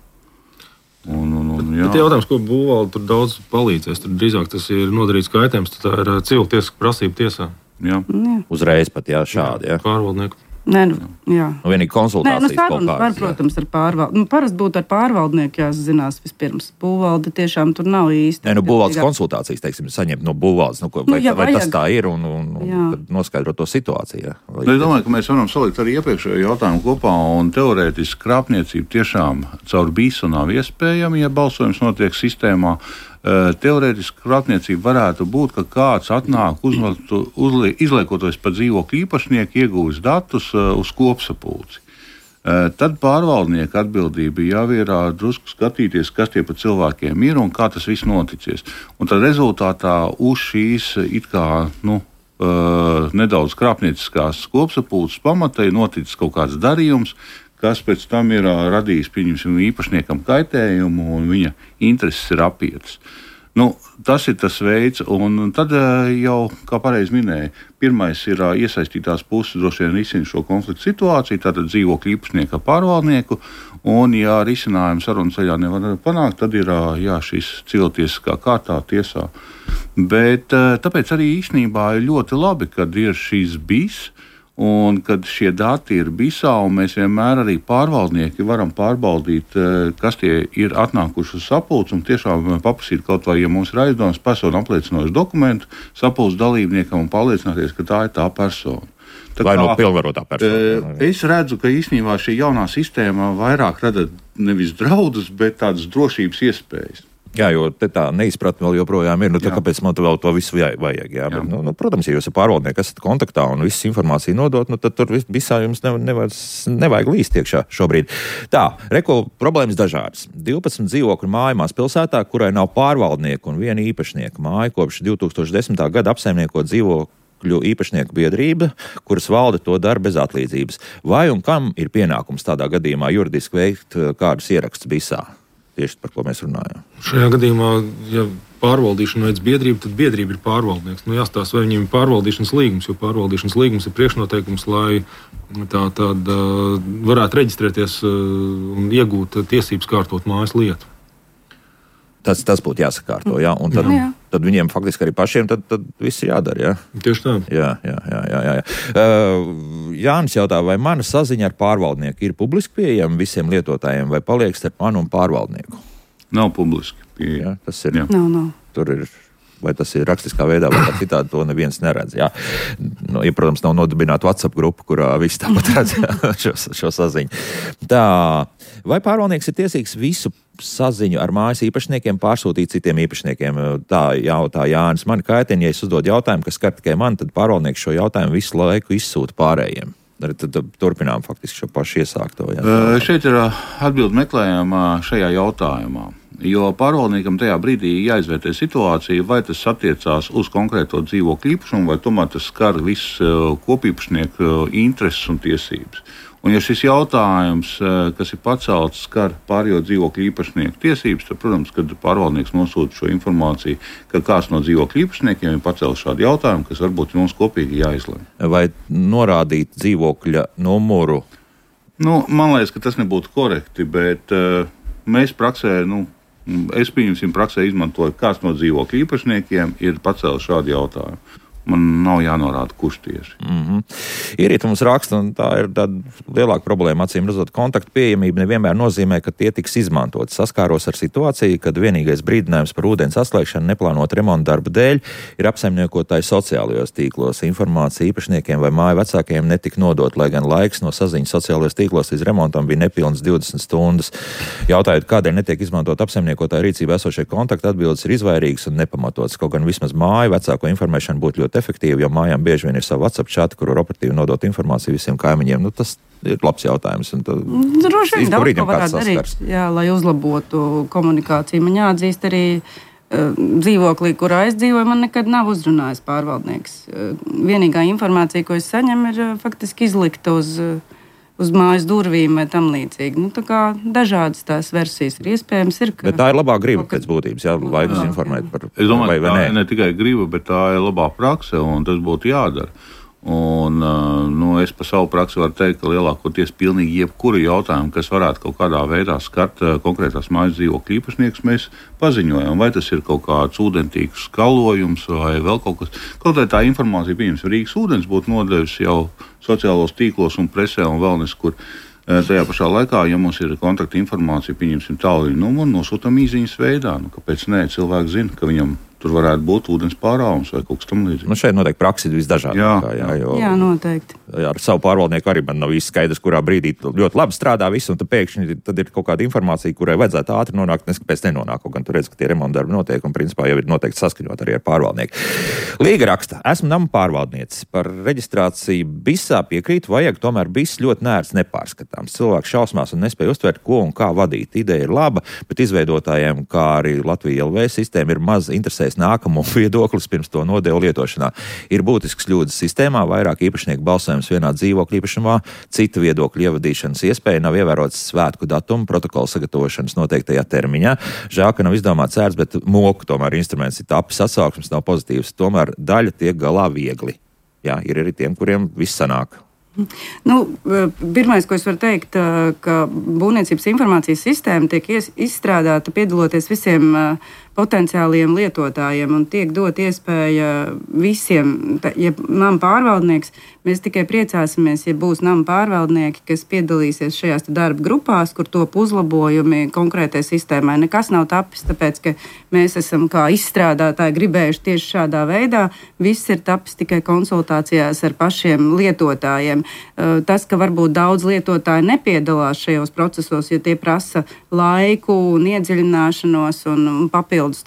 Speaker 4: jā.
Speaker 2: Bet jautājums, ko būvvalde tur daudz palīdzēs, tur drīzāk tas ir nodarīts kaitējums, tad tā ir civiltiesiska prasība tiesā.
Speaker 4: Jā.
Speaker 1: Uzreiz pat, šādi, jā.
Speaker 2: Pārvaldnieku.
Speaker 1: Vienīgi konsultācijas kaut kādas.
Speaker 3: Var, protams, ar pārvaldnieku. Parasti būtu ar pārvaldnieku jāzinās vispirms. Būvvalde tiešām tur nav īsti.
Speaker 1: Būvvaldes konsultācijas, teiksim, saņemt no būvvaldes, vai tas tā ir un noskaidrot to situāciju.
Speaker 4: Es domāju, ka mēs varam salikt arī iepriekšējo jautājumu kopā un teorētiski krāpniecība tiešām caur BIS nav iespējama, ja balsojums notiek sistēmā. Teorētiski krāpniecība varētu būt, ka kāds atnāk izliekoties par dzīvokļu īpašnieku, iegūst datus uz kopsapulci. Tad pārvaldnieka atbildība jau ir drusku skatīties, kas tie pa cilvēkiem ir un kā tas viss noticies. Un tad rezultātā uz šīs it kā nedaudz krāpnieciskās kopsapulces pamata ir noticis kaut kāds darījums, kas pēc tam ir radījis, pieņemsim, īpašniekam kaitējumu un viņa intereses ir apietas. Tas ir tas veids, un tad jau, kā pareizi minēja, pirmais ir iesaistītās puses droši vien risina šo konfliktu situāciju, tātad dzīvokļu īpašnieku ar pārvaldnieku, un ja risinājumu sarunu ceļā nevar panākt, tad ir šis civiltiesiskā kārtā tiesā. Bet tāpēc arī īstenībā ir ļoti labi, kad ir šīs BIS, un kad šie dati ir BISā, un mēs vienmēr arī pārvaldnieki varam pārbaudīt, kas tie ir atnākuši uz sapulci, un tiešām paprasīt kaut vai, ja mums ir aizdomas personu apliecinošu dokumentu sapulces dalībniekam un pārliecināties, ka tā ir tā persona.
Speaker 1: Vai no pilnvarotā persona?
Speaker 4: Es redzu, ka īstenībā šī jaunā sistēma vairāk rada nevis draudus, bet tādas drošības iespējas.
Speaker 1: Jā, jo tā neizpratne vēl joprojām ir. Kāpēc man vēl to visu vajag? Jā. Bet, protams, ja jūs ar pārvaldnieku esat kontaktā un visu informāciju nodot, tad tur visā jums nevajag līst iekšā šobrīd. Tā, problēmas dažādas. 12 dzīvokļu māja mazpilsētā, kurai nav pārvaldnieku un viena īpašnieka māja kopš 2010. gada apsaimnieko dzīvokļu īpašnieku biedrība, kuras valde to dara bez atlīdzības. Vai un kam ir pienākums tādā gadījumā juridiski veikt kādus ierakstus BISā? Tieši par ko mēs runājam. Šajā
Speaker 2: gadījumā, ja pārvaldīšana veids biedrība, tad biedrība ir pārvaldnieks. Jāstāsta, vai viņiem ir pārvaldīšanas līgums, jo pārvaldīšanas līgums ir priekšnoteikums, lai tāda varētu reģistrēties un iegūt tiesības kārtot mājas lietu.
Speaker 1: Tas būtu jāsakārto, jā. Un tad viņiem faktiski arī pašiem tad viss ir jādara, jā?
Speaker 2: Tieši tā.
Speaker 1: Jā. Jānis jautā, vai mana saziņa ar pārvaldnieku ir publiski pieejama visiem lietotājiem, vai paliek starp mani un pārvaldnieku?
Speaker 4: Nav publiski pieejama.
Speaker 1: Tas ir.
Speaker 3: Nav.
Speaker 1: Tur ir. Vai tas ir rakstiskā veidā, vai kā citādi, to neviens neredz. Jā. Ja, protams, nav nodibināta WhatsApp grupa, kurā visi tāpat redz šo saziņu. Tā, vai pārvaldnieks ir tiesīgs visu saziņu ar mājas īpašniekiem pārsūtīt citiem īpašniekiem? Tā jautā Jānis. Mani kaitina, ja es uzdodu jautājumu, kas skar tikai mani, tad pārvaldnieks šo jautājumu visu laiku izsūta pārējiem. Tad turpinām faktiski šo pašu iesākto.
Speaker 4: Šeit ir atbildi meklējama šajā jautājumā. Jo pārvaldniekam tajā brīdī jāizvērtē situācija, vai tas attiecās uz konkrēto dzīvokļu īpašumu, vai tomēr tas skar visu kopīpašnieku intereses un tiesības. Un ja šis jautājums, kas ir pacelts, skar pārējo dzīvokļu īpašnieku tiesības, tad, protams, kad pārvaldnieks nosūta šo informāciju, ka kāds no dzīvokļu īpašniekiem ir pacēlis šādu jautājumu, kas varbūt mums kopīgi jāizlemj.
Speaker 1: Vai norādīt dzīvokļa numuru?
Speaker 4: Man liekas, ka tas nebūtu korekti, bet mēs praksē, es pieņemsim praksē izmantoju, kāds no dzīvokļu īpašniekiem ir pacēlis šādu jautājumu. Man nav jānorāda, kurš tieši.
Speaker 1: Irīta mums raksta, un tā ir tāda lielāka problēma, acīm redzot, kontaktu pieejamība nevienmēr nozīmē, ka tie tiks izmantot. Saskāros ar situāciju, kad vienīgais brīdinājums par ūdens atslēgšanu neplānot remontu darbu dēļ ir apsaimniekotāji sociālajos tīklos. Informācija īpašniekiem vai māju vecākiem netika nodot, lai gan laiks no saziņas sociālajos tīklos līdz remontam bija nepilns 20 stundas. Jautājot, kādēļ netiek izmantot apsaimniekotāju rīcībā esošie kontakti, atbildes ir izvairīgas un nepamatotas. Kaut gan vismaz māju vecāko informēšanu būtu ļoti efektīvi, jo mājām bieži vien ir savu WhatsApp chati, kur var operatīvi nodot informāciju visiem kaimiņiem. Tas ir labs jautājums.
Speaker 3: Droši vien daudz ko varētu darīt, lai uzlabotu komunikāciju. Man jāatzīst arī dzīvoklī, kurā es dzīvoju, man nekad nav uzrunājis pārvaldnieks. Vienīgā informācija, ko es saņemu, ir faktiski izlikta uz mājas durvīm vai tam līdzīgi. Tā kā dažādas tās versijas ir iespējams.
Speaker 1: Bet tā ir labā griba pēc būtības, laikus informēt par
Speaker 4: es domāju, vai ne tikai griba, bet tā ir labā prakse, un tas būtu jādara. Un, es par savu praksi varu teikt, ka lielākoties pilnīgi jebkuru jautājumu, kas varētu kaut kādā veidā skart konkrētās mājas dzīvokļu īpašniekus, mēs paziņojam, vai tas ir kaut kāds ūdentīgs skalojums vai vēl kaut kas. Kaut tā informācija, pieņems, Rīgas ūdens būtu nodevusi jau sociālos tīklos un presē un vēl neskur. Tajā pašā laikā, ja mums ir kontakta informācija, pieņemsim tālruņa numuru, nosūtam īsiņas veidā. Kāpēc nē? Cilvēks zina, ka viņam tur varētu būt ūdens pārāvums vai kaut kas tam līdzīgs.
Speaker 1: Šeit noteikti praksa ir visdažādākā.
Speaker 3: Jā, noteikti.
Speaker 1: Ar savu pārvaldnieku arī man nav īsti skaidrs, kurā brīdī ļoti labi strādā viss, un tad pēkšņi tad ir kaut kāda informācija, kurai vajadzētu ātri nonākt, neskapēc nenonāk, kaut gan tur redz, ka tie remonta darbi notiek, un principā jau ir noteikti saskaņot arī ar pārvaldnieku. Līga raksta, esmu nama pārvaldniece. Par reģistrāciju BISā piekrītu, vajag tomēr BIS ļoti nērts nepārskatāms. Cilvēks šausmās un nespēja uztvert, ko un kā vadīt. Ideja ir laba, bet izveidotājiem, kā arī Latvija LV sistēma, ir maz interesēs nākamo viedoklis pirms to nodevu lietošanā. Ir būtisks kļūdas sistēmā, vairāk īpašnieku balsojums vienā dzīvokļa īpašumā, cita viedokļa ievadīšanas iespēja, nav ievērots svētku datumu, protokola sagatavošanas noteiktajā termiņā. Žēl, ka nav izdomāts cērs, bet moku tomēr instruments ir tapis, atsauksmes nav pozitīvs, tomēr daļa tiek galā viegli. Jā, ir arī tiem, kuriem viss sanāk.
Speaker 3: Pirmais, ko es varu teikt, ka būvniecības informācijas sistēma tiek izstrādāta piedaloties visiem potenciāliem lietotājiem un tiek dot iespēja visiem, ja nama pārvaldnieks, mēs tikai priecāsimies, ja būs nama pārvaldnieki, kas piedalīsies šajās darba grupās, kur top uzlabojumi konkrētai sistēmai. Nekas nav tapis, tāpēc, ka mēs esam kā izstrādātāji gribējuši tieši šādā veidā. Viss ir tapis tikai konsultācijās ar pašiem lietotājiem. Tas, ka varbūt daudz lietotāji nepiedalās šajos procesos, jo tie prasa laiku un iedziļināšanos un papildus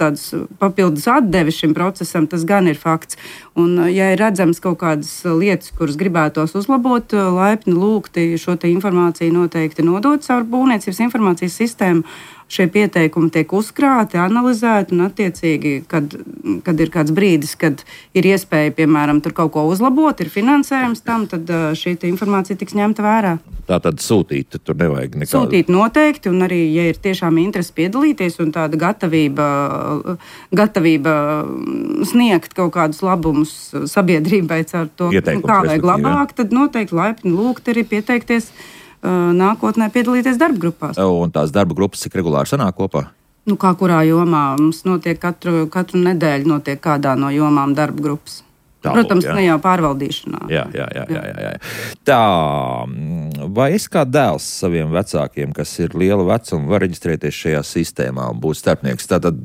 Speaker 3: atdevi šim procesam, tas gan ir fakts. Un, ja ir redzams kaut kādas lietas, kuras gribētos uzlabot, laipni lūgti šo te informāciju noteikti nodot caur būvniecības informācijas sistēmu. Šie pieteikumi tiek uzkrāti, analizēti un attiecīgi, kad ir kāds brīdis, kad ir iespēja, piemēram, tur kaut ko uzlabot, ir finansējums tam, tad šī informācija tiks ņemta vērā.
Speaker 1: Tā tad sūtīt, tur nevajag nekādu.
Speaker 3: Sūtīt noteikti, un arī, ja ir tiešām interesi piedalīties un tāda gatavība sniegt kaut kādus labumus sabiedrībai caur to, kā vajag labāk, tad noteikti laipni lūgt arī pieteikties nākotnē piedalīties darba grupās.
Speaker 1: Un tās darba grupas cik regulāri sanāk kopā?
Speaker 3: Nu, kā kurā jomā mums notiek katru nedēļu notiek kādā no jomām darba grupas. Protams, ne jau pārvaldīšanā.
Speaker 1: Jā. Tā, vai es kā dēls saviem vecākiem, kas ir liela vecuma, var reģistrēties šajā sistēmā un būt starpnieks? Tātad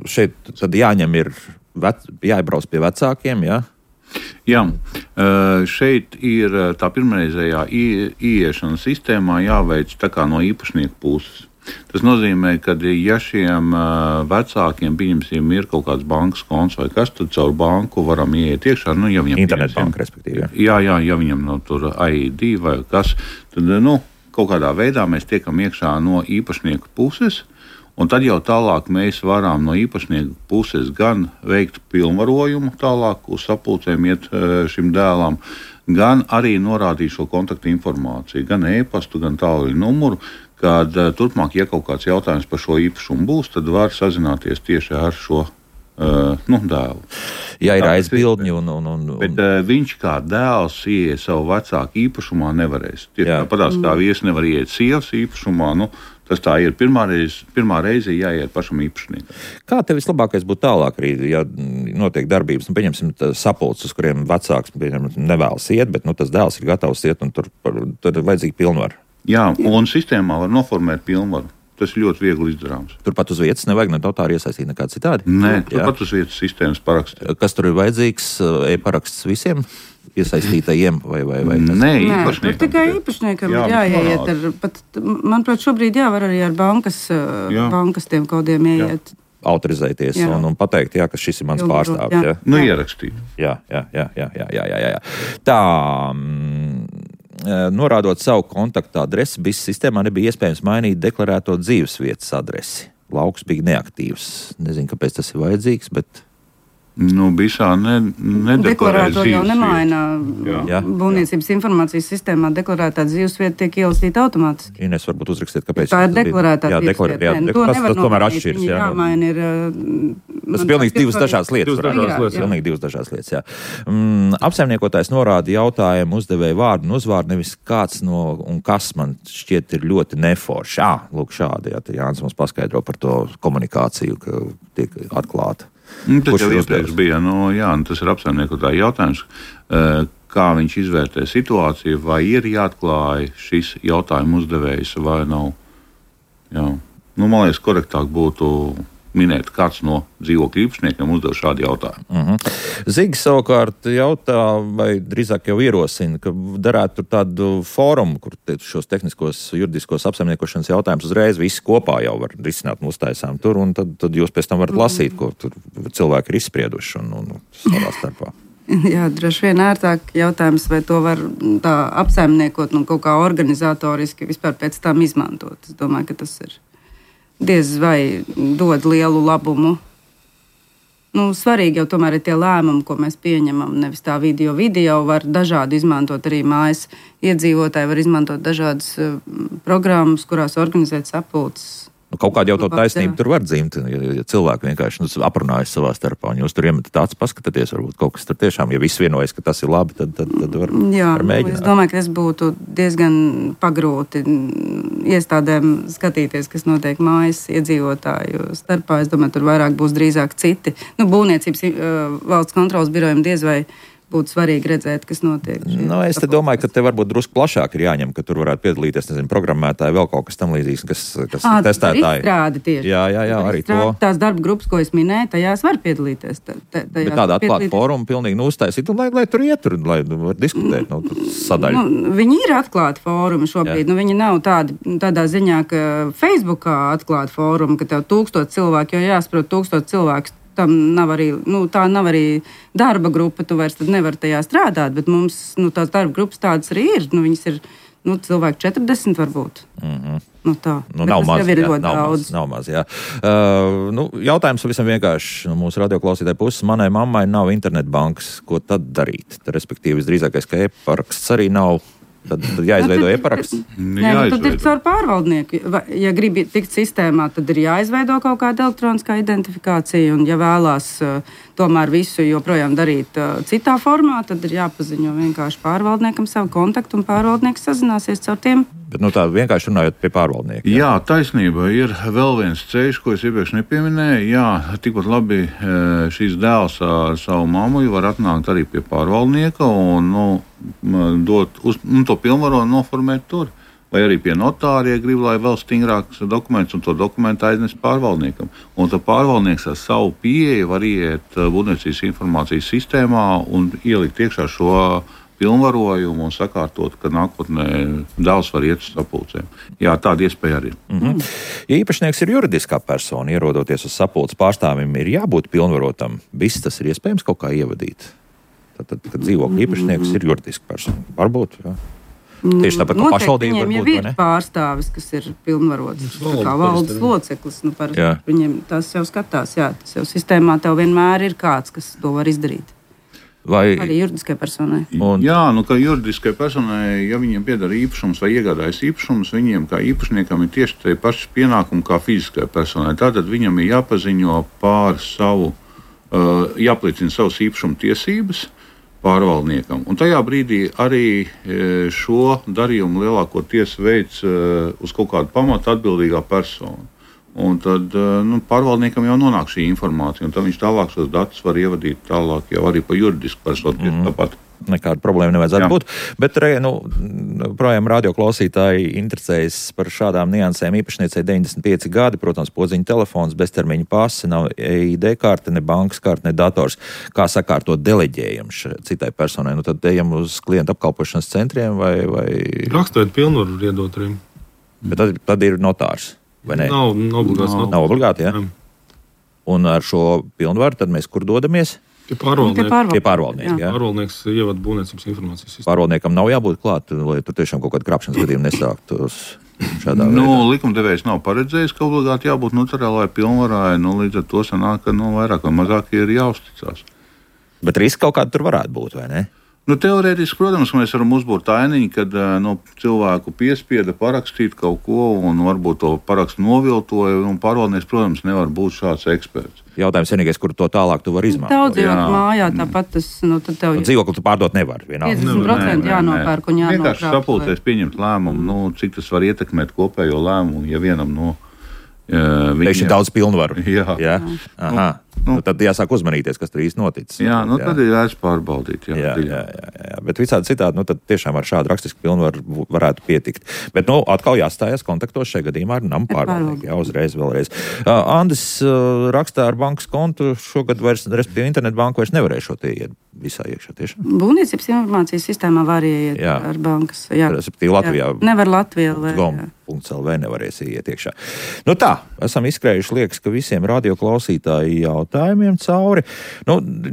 Speaker 1: šeit tad jāiebrauc pie vecākiem, jā?
Speaker 4: Jā, šeit ir tā pirmreizējā ieiešanas sistēmā jāveic tā kā no īpašnieku puses. Tas nozīmē, ka ja šiem vecākiem, pieņemsim, ir kaut kāds bankas konts vai kas, tad caur banku varam ieiet iekšā. Nu, ja viņam
Speaker 1: internetbanka, respektīvi.
Speaker 4: Jā, ja viņam tur ID vai kas, tad kaut kādā veidā mēs tiekam iekšā no īpašnieku puses. Un tad jau tālāk mēs varam no īpašnieku puses gan veikt pilnvarojumu tālāk uz sapulcēm iet šim dēlam, gan arī norādīt šo kontaktu informāciju, gan e-pastu, gan tālruņa numuru, kad turpmāk, ja kaut kāds jautājums par šo īpašumu būs, tad var sazināties tieši ar šo dēlu.
Speaker 1: Ja ir aizbildņi
Speaker 4: Bet viņš kā dēls ieiet savu vecāku īpašumā nevarēs. Tāpatās kā vīrs nevar ieiet sievas īpašumā, tas tā ir. Pirmā reize jāiet pašam īpašniekam. Kā
Speaker 1: tev vislabākais būtu tālāk, ja notiek darbības, pieņemsim sapulces, uz kuriem vecāks nevēlas iet, bet tas dēls ir gatavs iet un tur ir vajadzīga pilnvara? Jā, un sistēmā var noformēt pilnvaru. Tas ir ļoti viegli izdarāms. Turpat uz vietas nevajag notāri iesaistīt nekādu citādi? Nē, turpat uz vietas sistēmas parakstīt. Kas tur ir vajadzīgs? E-paraksts visiem iesaistītajiem vai
Speaker 3: Nē, tur tikai īpašniekam ir jāiet. Manuprāt, šobrīd var arī ar bankas tiem kodiem ieiet.
Speaker 1: Autorizēties un pateikt, ka šis ir mans pārstāvis.
Speaker 4: Ierakstīt.
Speaker 1: Jā. Tā. Norādot savu kontaktu adresi, BIS sistēmā nebija iespējams mainīt deklarēto dzīvesvietas adresi. Lauks bija neaktīvs. Nezinu, kāpēc tas ir vajadzīgs, bet... BISā
Speaker 3: nedeklarēto jau nemaina. Būvniecības informācijas sistēmā deklarētā dzīvesvieta tiek ielasīta automātiski.
Speaker 1: Ines varbūt uzrakstīt, kāpēc.
Speaker 3: Tā ir deklarētā dzīvesvieta.
Speaker 1: Tas tomēr atšķiras.
Speaker 3: Jāmaina ir...
Speaker 1: Tas ir pilnīgi divas dažādas lietas. Apsaimniekotājs norāda jautājumu uzdevēju vārdu un uzvārdu, nevis kāds no un kas man šķiet ir ļoti neforši. Lūk šādi, Jānis mums paskaidro par to komunikāciju, ka tiek atklāta.
Speaker 4: Tas jau iepriekš bija. Tas ir apsaimniekotāja jautājums, kā viņš izvērtē situāciju, vai ir jāatklāj šis jautājumu uzdevējs vai nav. Man liekas, korektāk būtu minēt, kāds no dzīvokļu īpašniekiem uzdev šādu jautājumu.
Speaker 1: Zigis savukārt jautā, vai drīzāk jau ierosina, ka darētu tur tādu fórumu, kur šos tehniskos, juridiskos apsaimniekošanas jautājumus uzreiz visi kopā jau var risināt un uztaisām tur, un tad jūs pēc tam varat lasīt, ko tur cilvēki ir izsprieduši un savā starpā.
Speaker 3: Jā, droši vien ērtāk jautājums, vai to var tā apsaimniekot un kaut kā organizatoriski vispār pēc tam izmantot. Es domāju, ka tas ir diez vai dod lielu labumu. Svarīgi jau tomēr ir tie lēmumi, ko mēs pieņemam, nevis tā video. Video var dažādi izmantot arī mājas iedzīvotāji, var izmantot dažādas programmas, kurās organizēt sapulces.
Speaker 1: Kaut kāda jau to taisnību tur var dzimt, ja cilvēki vienkārši aprunājas savā starpā, un jūs tur iemetat acis, paskatāties, varbūt kaut kas tur tiešām, ja viss vienojas, ka tas ir labi, tad var mēģināt.
Speaker 3: Es domāju, ka tas būtu diezgan pagrūti iestādēm skatīties, kas notiek mājas iedzīvotāju starpā. Es domāju, tur vairāk būs drīzāk citi. Būvniecības valsts kontrolas birojiem diez vai būtu svarīgi redzēt, kas notiek.
Speaker 1: Es domāju, ka te varbūt drusku plašāk ir jāņem, ka tur varētu piedalīties, programmētāji, vēl kaut kas tam līdzīgs, kas testētāji.
Speaker 3: Izstrādi tieši.
Speaker 1: Jā, arī to.
Speaker 3: Tās darba grupas, ko es minēju, tajās var piedalīties.
Speaker 1: Bet tādā atklāta fóruma pilnīgi uztaisīt, lai tur ietur, lai var diskutēt, sadaļu.
Speaker 3: Viņi ir atklāti fórumi šobrīd. Viņi nav tādā ziņā, ka Facebookā atklāti fórumi, ka tev 1000 cilvēku, jo jāsaprot 1000 cilvēku. Tam nav arī, tā nav arī darba grupa, tu vairs nevari tajā strādāt, bet mums tās darba grupas tādas arī ir. Viņas ir cilvēki 40 varbūt.
Speaker 1: Nav maz, jā. Jautājums visam vienkārši mūsu radioklausītāju puses. Manai mammai nav internetbankas, ko tad darīt? Respektīvi, visdrīzākais, ka e-paraksts arī nav. Tad jāizveido e-paraksts.
Speaker 3: Tad ir caur pārvaldnieku. Ja gribi tikt sistēmā, tad ir jāizveido kaut kāda elektroniskā identifikācija. Un, ja vēlās tomēr visu joprojām darīt citā formā, tad ir jāpaziņo vienkārši pārvaldniekam savu kontaktu, un pārvaldnieks sazināsies caur tiem.
Speaker 1: Bet tā vienkārši runājot pie pārvaldnieka.
Speaker 4: Jā, taisnība. Ir vēl viens ceļš, ko es iepriekš nepieminēju. Jā, tikpat labi šīs dēls ar savu mammu var atnākt arī pie pārvaldnieka un dot to pilnvaru un noformēt tur. Vai arī pie notāra, ja grib, lai vēl stingrāks dokuments, un to dokumentu aiznes pārvaldniekam. Un tad pārvaldnieks ar savu pieeju var iet būvniecības informācijas sistēmā un ielikt iekšā šo pilnvarojumu un sakārtot, ka nākotnē dēls var iet uz sapulcēm. Jā, tāda iespēja arī.
Speaker 1: Ja īpašnieks ir juridiskā persona, ierodoties uz sapulces pārstāvim, ir jābūt pilnvarotam. Viss tas ir iespējams kaut kā ievadīt. Tad kad dzīvokļa īpašnieks ir juridiska persona. Varbūt, jā. Tieši tāpat kā pašvaldība varbūt, vai ne?
Speaker 3: Viņiem ir pārstāvis, kas ir pilnvarots. Kā valdes loceklis. Viņiem tas jau skatās, jā. Tas jau sistēmā tev vienmēr ir kāds, kas to var izdarīt. Arī juridiskai personai.
Speaker 4: Jā, kā juridiskai personai, ja viņiem pieder īpašums vai iegādājas īpašums, viņiem kā īpašniekam ir tieši tie paši pienākumi kā fiziskai personai. Tātad viņam ir jāpaziņo pār savu, jāpliecina savas īpašuma tiesības pārvaldniekam. Un tajā brīdī arī šo darījumu lielākoties veids uz kaut kādu pamatu atbildīgā persona. Un tad pārvaldniekam jau nonāk šī informācija, un tad viņš tālāk šos datus var ievadīt tālāk jau arī pa juridisku personu. Tāpat.
Speaker 1: Nekāda problēma nevajadzētu būt. Bet projām radioklausītāji interesējas par šādām niansēm. Īpašniecei 95 gadi, protams, podziņa telefons, beztermiņa pase, nav EID karte, ne bankas karte, ne dators. Kā sakārtot deleģējumu citai personai? Tad ejam uz klientu apkalpošanas centriem vai...
Speaker 2: Rakstot pilnvaru iedot arī.
Speaker 1: Bet tad ir notārs, vai ne?
Speaker 2: Nav obligāti.
Speaker 1: Nav obligāti, jā? Un ar šo pilnvaru tad mēs kur dodamies?
Speaker 2: Pie pārvaldnieka.
Speaker 3: Pārvaldnieks
Speaker 2: ievad būvniecības informācijas sistēmu.
Speaker 1: Pārvaldniekam nav jābūt klāt, lai tur tiešām kaut kāda krāpšanas gadījuma nesāktos šādā veidā.
Speaker 4: Likumdevējs nav paredzējis, ka obligāti jābūt notariālai pilnvarai, līdz ar to sanāk, ka vairāk vai mazāk ir jāuzticās.
Speaker 1: Bet riski kaut kādi tur varētu būt, vai ne?
Speaker 4: Teorētiski, protams, mēs varam uzbūrt ainiņu, kad cilvēku piespieda parakstīt kaut ko un varbūt to parakstu noviltoja. Pārvaldnieks, protams, nevar būt šāds eksperts.
Speaker 1: Jautājums vienīgais, kur to tālāk tu vari izmantot.
Speaker 3: Daudz dzīvot mājā, tāpat tas, tad tev...
Speaker 1: Dzīvokli tu pārdot nevar, vienalga.
Speaker 3: 50% jānopērk un jānokrāp.
Speaker 4: Vienkārši sapulcēs pieņemt lēmumu, cik tas var ietekmēt kopējo lēmumu, ja vienam
Speaker 1: Tieši daudz pilnvaru.
Speaker 4: Jā.
Speaker 1: Tad jāsāk uzmanīties, kas tur īsti noticis.
Speaker 4: Tad ir vērts pārbaudīt.
Speaker 1: Jā. Bet visādi citādi, tad tiešām ar šādu rakstisku pilnvaru varētu pietikt. Bet, atkal jāstājas kontaktos šajā gadījumā ar namu pārvaldnieku. Jā, uzreiz, vēlreiz. Andis rakstā ar bankas kontu šogad vairs, respektīvi internetbanku vairs nevarēšot ieiet visā iekšā tiešām.
Speaker 3: Būvniecības informācijas sistēmā var ieiet ar bankas. Jā.
Speaker 1: Respektīvi Latvijā.
Speaker 3: Nevar Latvijā.
Speaker 1: .lv nevarēs ieiet iekšā. Tā, esam izskrējuši, liekas, ka visiem radioklausītāji jautājumiem cauri.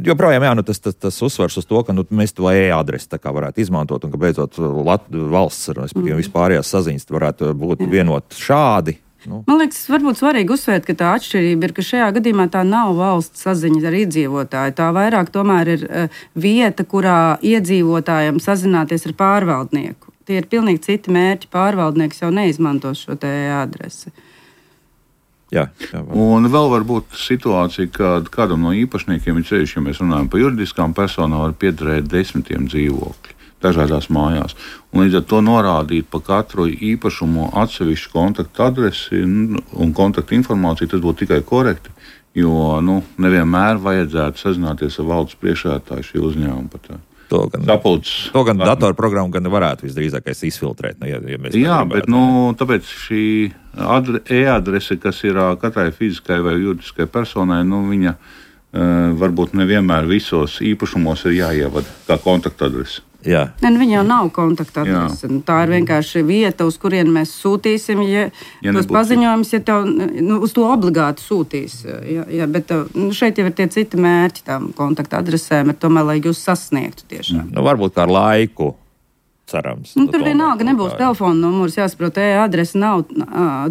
Speaker 1: Joprojām, tas uzsvars uz to, ka mēs to e-adresi tā kā varētu izmantot un ka beidzot valsts, respektīvi vispārējās saziņas varētu būt vienot šādi.
Speaker 3: Man liekas, varbūt svarīgi uzsvērt, ka tā atšķirība ir, ka šajā gadījumā tā nav valsts saziņa ar iedzīvotāju. Tā vairāk tomēr ir vieta, kurā iedzīvotājiem sazināties ar pārvaldnieku. Tie ir pilnīgi citi mērķi. Pārvaldnieks jau neizmantos šo te adresi.
Speaker 1: Jā.
Speaker 4: Un vēl var būt situācija, kad kādam no īpašniekiem ir ceļš, ja mēs runājam par juridiskām personām, var piederēt 10 dzīvokļi dažādās mājās. Un līdz ar to norādīt pa katru īpašumu atsevišķu kontaktu adresi un kontaktu informāciju, tas būtu tikai korekti, jo nevienmēr vajadzētu sazināties ar valdes priekšsēdētāju šī uzņēmuma par tā.
Speaker 1: To gan datorprogramma gan varētu visdrīzākais izfiltrēt. Jā,
Speaker 4: bet tāpēc šī e-adrese, kas ir katrai fiziskai vai juridiskai personai, viņa varbūt nevienmēr visos īpašumos ir jāievada kā kontaktadrese.
Speaker 1: Jā.
Speaker 3: Viņa jau nav kontaktadrese. Tā ir vienkārši vieta, uz kurien mēs sūtīsim, tos paziņojumus, ja tev uz to obligāti sūtīs. Bet šeit jau ir tie citi mērķi tām kontaktadresēm, bet tomēr, lai jūs sasniegtu tiešām.
Speaker 1: Varbūt kā ar laiku. Cerams.
Speaker 3: Tur vienalga nebūs telefona numurs, jāsaprot, e-adrese nav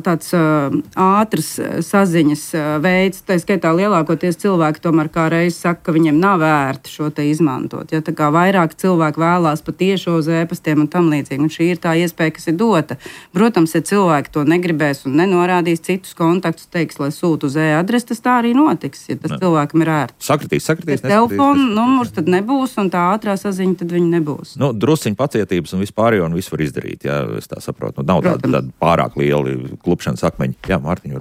Speaker 3: tāds ātrs saziņas veids. Tā skaitā lielākoties cilvēki tomēr kā reiz saka, ka viņiem nav vērti šo te izmantot. Ja, tā kā vairāk cilvēki vēlās pa tiešo uz e-pastiem un tam līdzīgi. Un šī ir tā iespēja, kas ir dota. Protams, ja cilvēki to negribēs un nenorādīs citus kontaktus, teiks, lai sūta uz e-adresi, tas tā arī notiks, ja tas cilvēkam ir ērti.
Speaker 1: Sakritīs.
Speaker 3: Telefona numurs tad nebūs un tā ātrā saziņa tad viņa nebūs.
Speaker 1: Drusciņ pacietības un vispārējo un visu var izdarīt, jā, es tā saprotu. Nav tāda pārāk liela klupšanas akmeņi. Jā, Mārtiņ,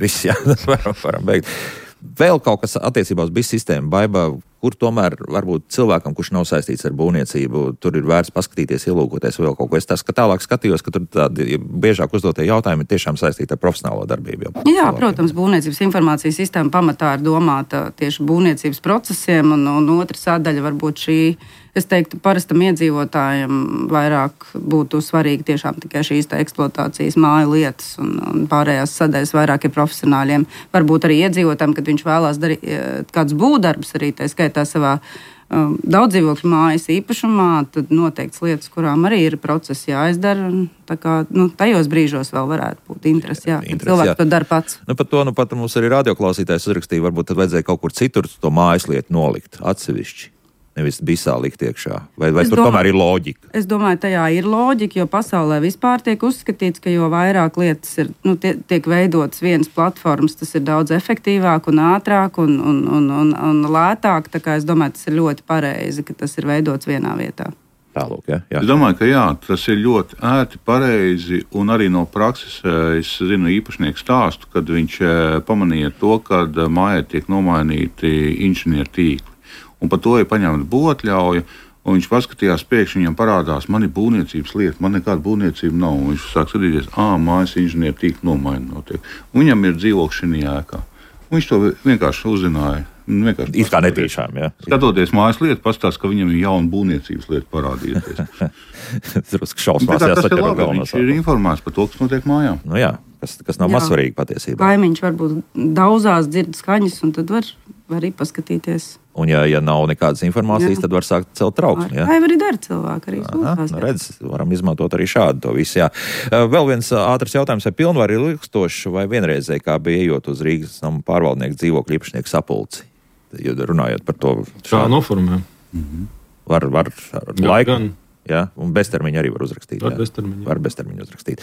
Speaker 1: viss, jā, varam beigt. Vēl kaut kas attiecībā uz BIS sistēmu, Baiba, kur tomēr varbūt cilvēkam, kurš nav saistīts ar būvniecību, tur ir vērts paskatīties, ielūkoties vēl kaut ko. Es tālāk skatījos, ka tur tādi biežāk uzdotie jautājumi ir tiešām saistīti ar profesionālo darbību.
Speaker 3: Jā, protams, būvniecības informācijas sistēma pamatā ir domāta tieši būvniecības procesiem, un otra sadaļa varbūt šī, es teiktu, parastam iedzīvotājiem vairāk būtu svarīgi tiešām tikai šīs eksploatācijas māju lietas, un pārējās sadaļas vairāk ir profesionāļiem. Varbūt arī iedzīvotājiem, kad viņš vēlās darīt kādus būvdarbus arī, tā skaitā savā daudzdzīvokļu mājas īpašumā, tad noteikts lietas, kurām arī ir procesi jāizdara. Tā kā tajos brīžos vēl varētu būt interesi, cilvēks to dara pats.
Speaker 1: Par to pat mums arī radioklausītājs uzrakstīja, varbūt tad vajadzēja kaut kur citur to mājas lietu nolikt atsevišķi. Nevis bisā likt iekšā. Vai tur tomēr ir loģika?
Speaker 3: Es domāju, tajā ir loģika, jo pasaulē vispār tiek uzskatīts, ka jo vairāk lietas ir, tiek veidotas vienas platformas, tas ir daudz efektīvāk un ātrāk un lētāk. Tā kā es domāju, tas ir ļoti pareizi, ka tas ir veidots vienā vietā.
Speaker 1: Tālūk, jā.
Speaker 4: Es domāju, ka tas ir ļoti ērti, pareizi, un arī no prakses es zinu īpašnieku stāstu, kad viņš pamanīja to, kad mājai tiek nomainīti inženieru tīkli. Un par to ir paņemta būvatļauja, un viņš paskatījās, pēkšņi viņam parādās, man ir būvniecības lieta, man nekāda būvniecība nav. Un viņš sāk skatīties, mājas inženieru tīklu nomaina notiek. Un viņam ir dzīvoklis šī ēkā. Un viņš to vienkārši uzzināja.
Speaker 1: It kā netīšām, jā.
Speaker 4: Skatoties mājas lietu, pastāst, ka viņam ir jauna būvniecības lieta parādījusies.
Speaker 1: Drusku šausmās jāsaķer ar galvenās.
Speaker 4: Viņš ir informēts par to, kas notiek mājām.
Speaker 1: Jā, kas nav maz svarīgi patiesībā.
Speaker 3: Kaimiņš varbūt daudzās dzird skaņas, un tad var arī paskatīties.
Speaker 1: Un ja nav nekādas informācijas, tad var sākt celt trauksmi.
Speaker 3: Vai arī dara cilvēki arī sūtās.
Speaker 1: Redz, varam izmantot arī šādu to visu, jā. Vēl viens ātrs jautājums, vai pilnvari ir ilgstoši vai vienreizēji, kā bija ejot uz Rīgas namu pārvaldnieku dzīvokļu īpašnieku sapulci? Runājot par to.
Speaker 2: Kā noformē?
Speaker 1: Var laiku.
Speaker 2: Gan.
Speaker 1: Ja, un beztermiņu arī var uzrakstīt.
Speaker 2: Var
Speaker 1: beztermiņu uzrakstīt.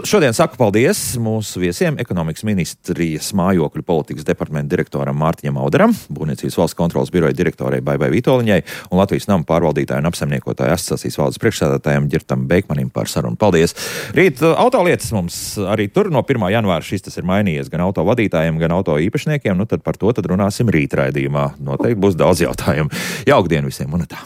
Speaker 1: Šodien saku paldies mūsu viesiem, ekonomikas ministrijas mājokļu politikas departamenta direktoram Mārtiņam Auderam, Būvniecības valsts kontrolas biroja direktorei Baibai Vitoļņai un Latvijas namu pārvaldītāju un apsaimniekotāju asociācijas valdes priekšsēdētājam Ģirtam Beikmanim par sarunu. Paldies! Rīt autolietas mums arī tur no 1. janvāra šis tas ir mainījies gan auto vadītājiem, gan auto īpašniekiem. Tad par to runāsim rīt raidījumā. Noteikti būs daudz jautājumu. Jauku dienu visiem un tā!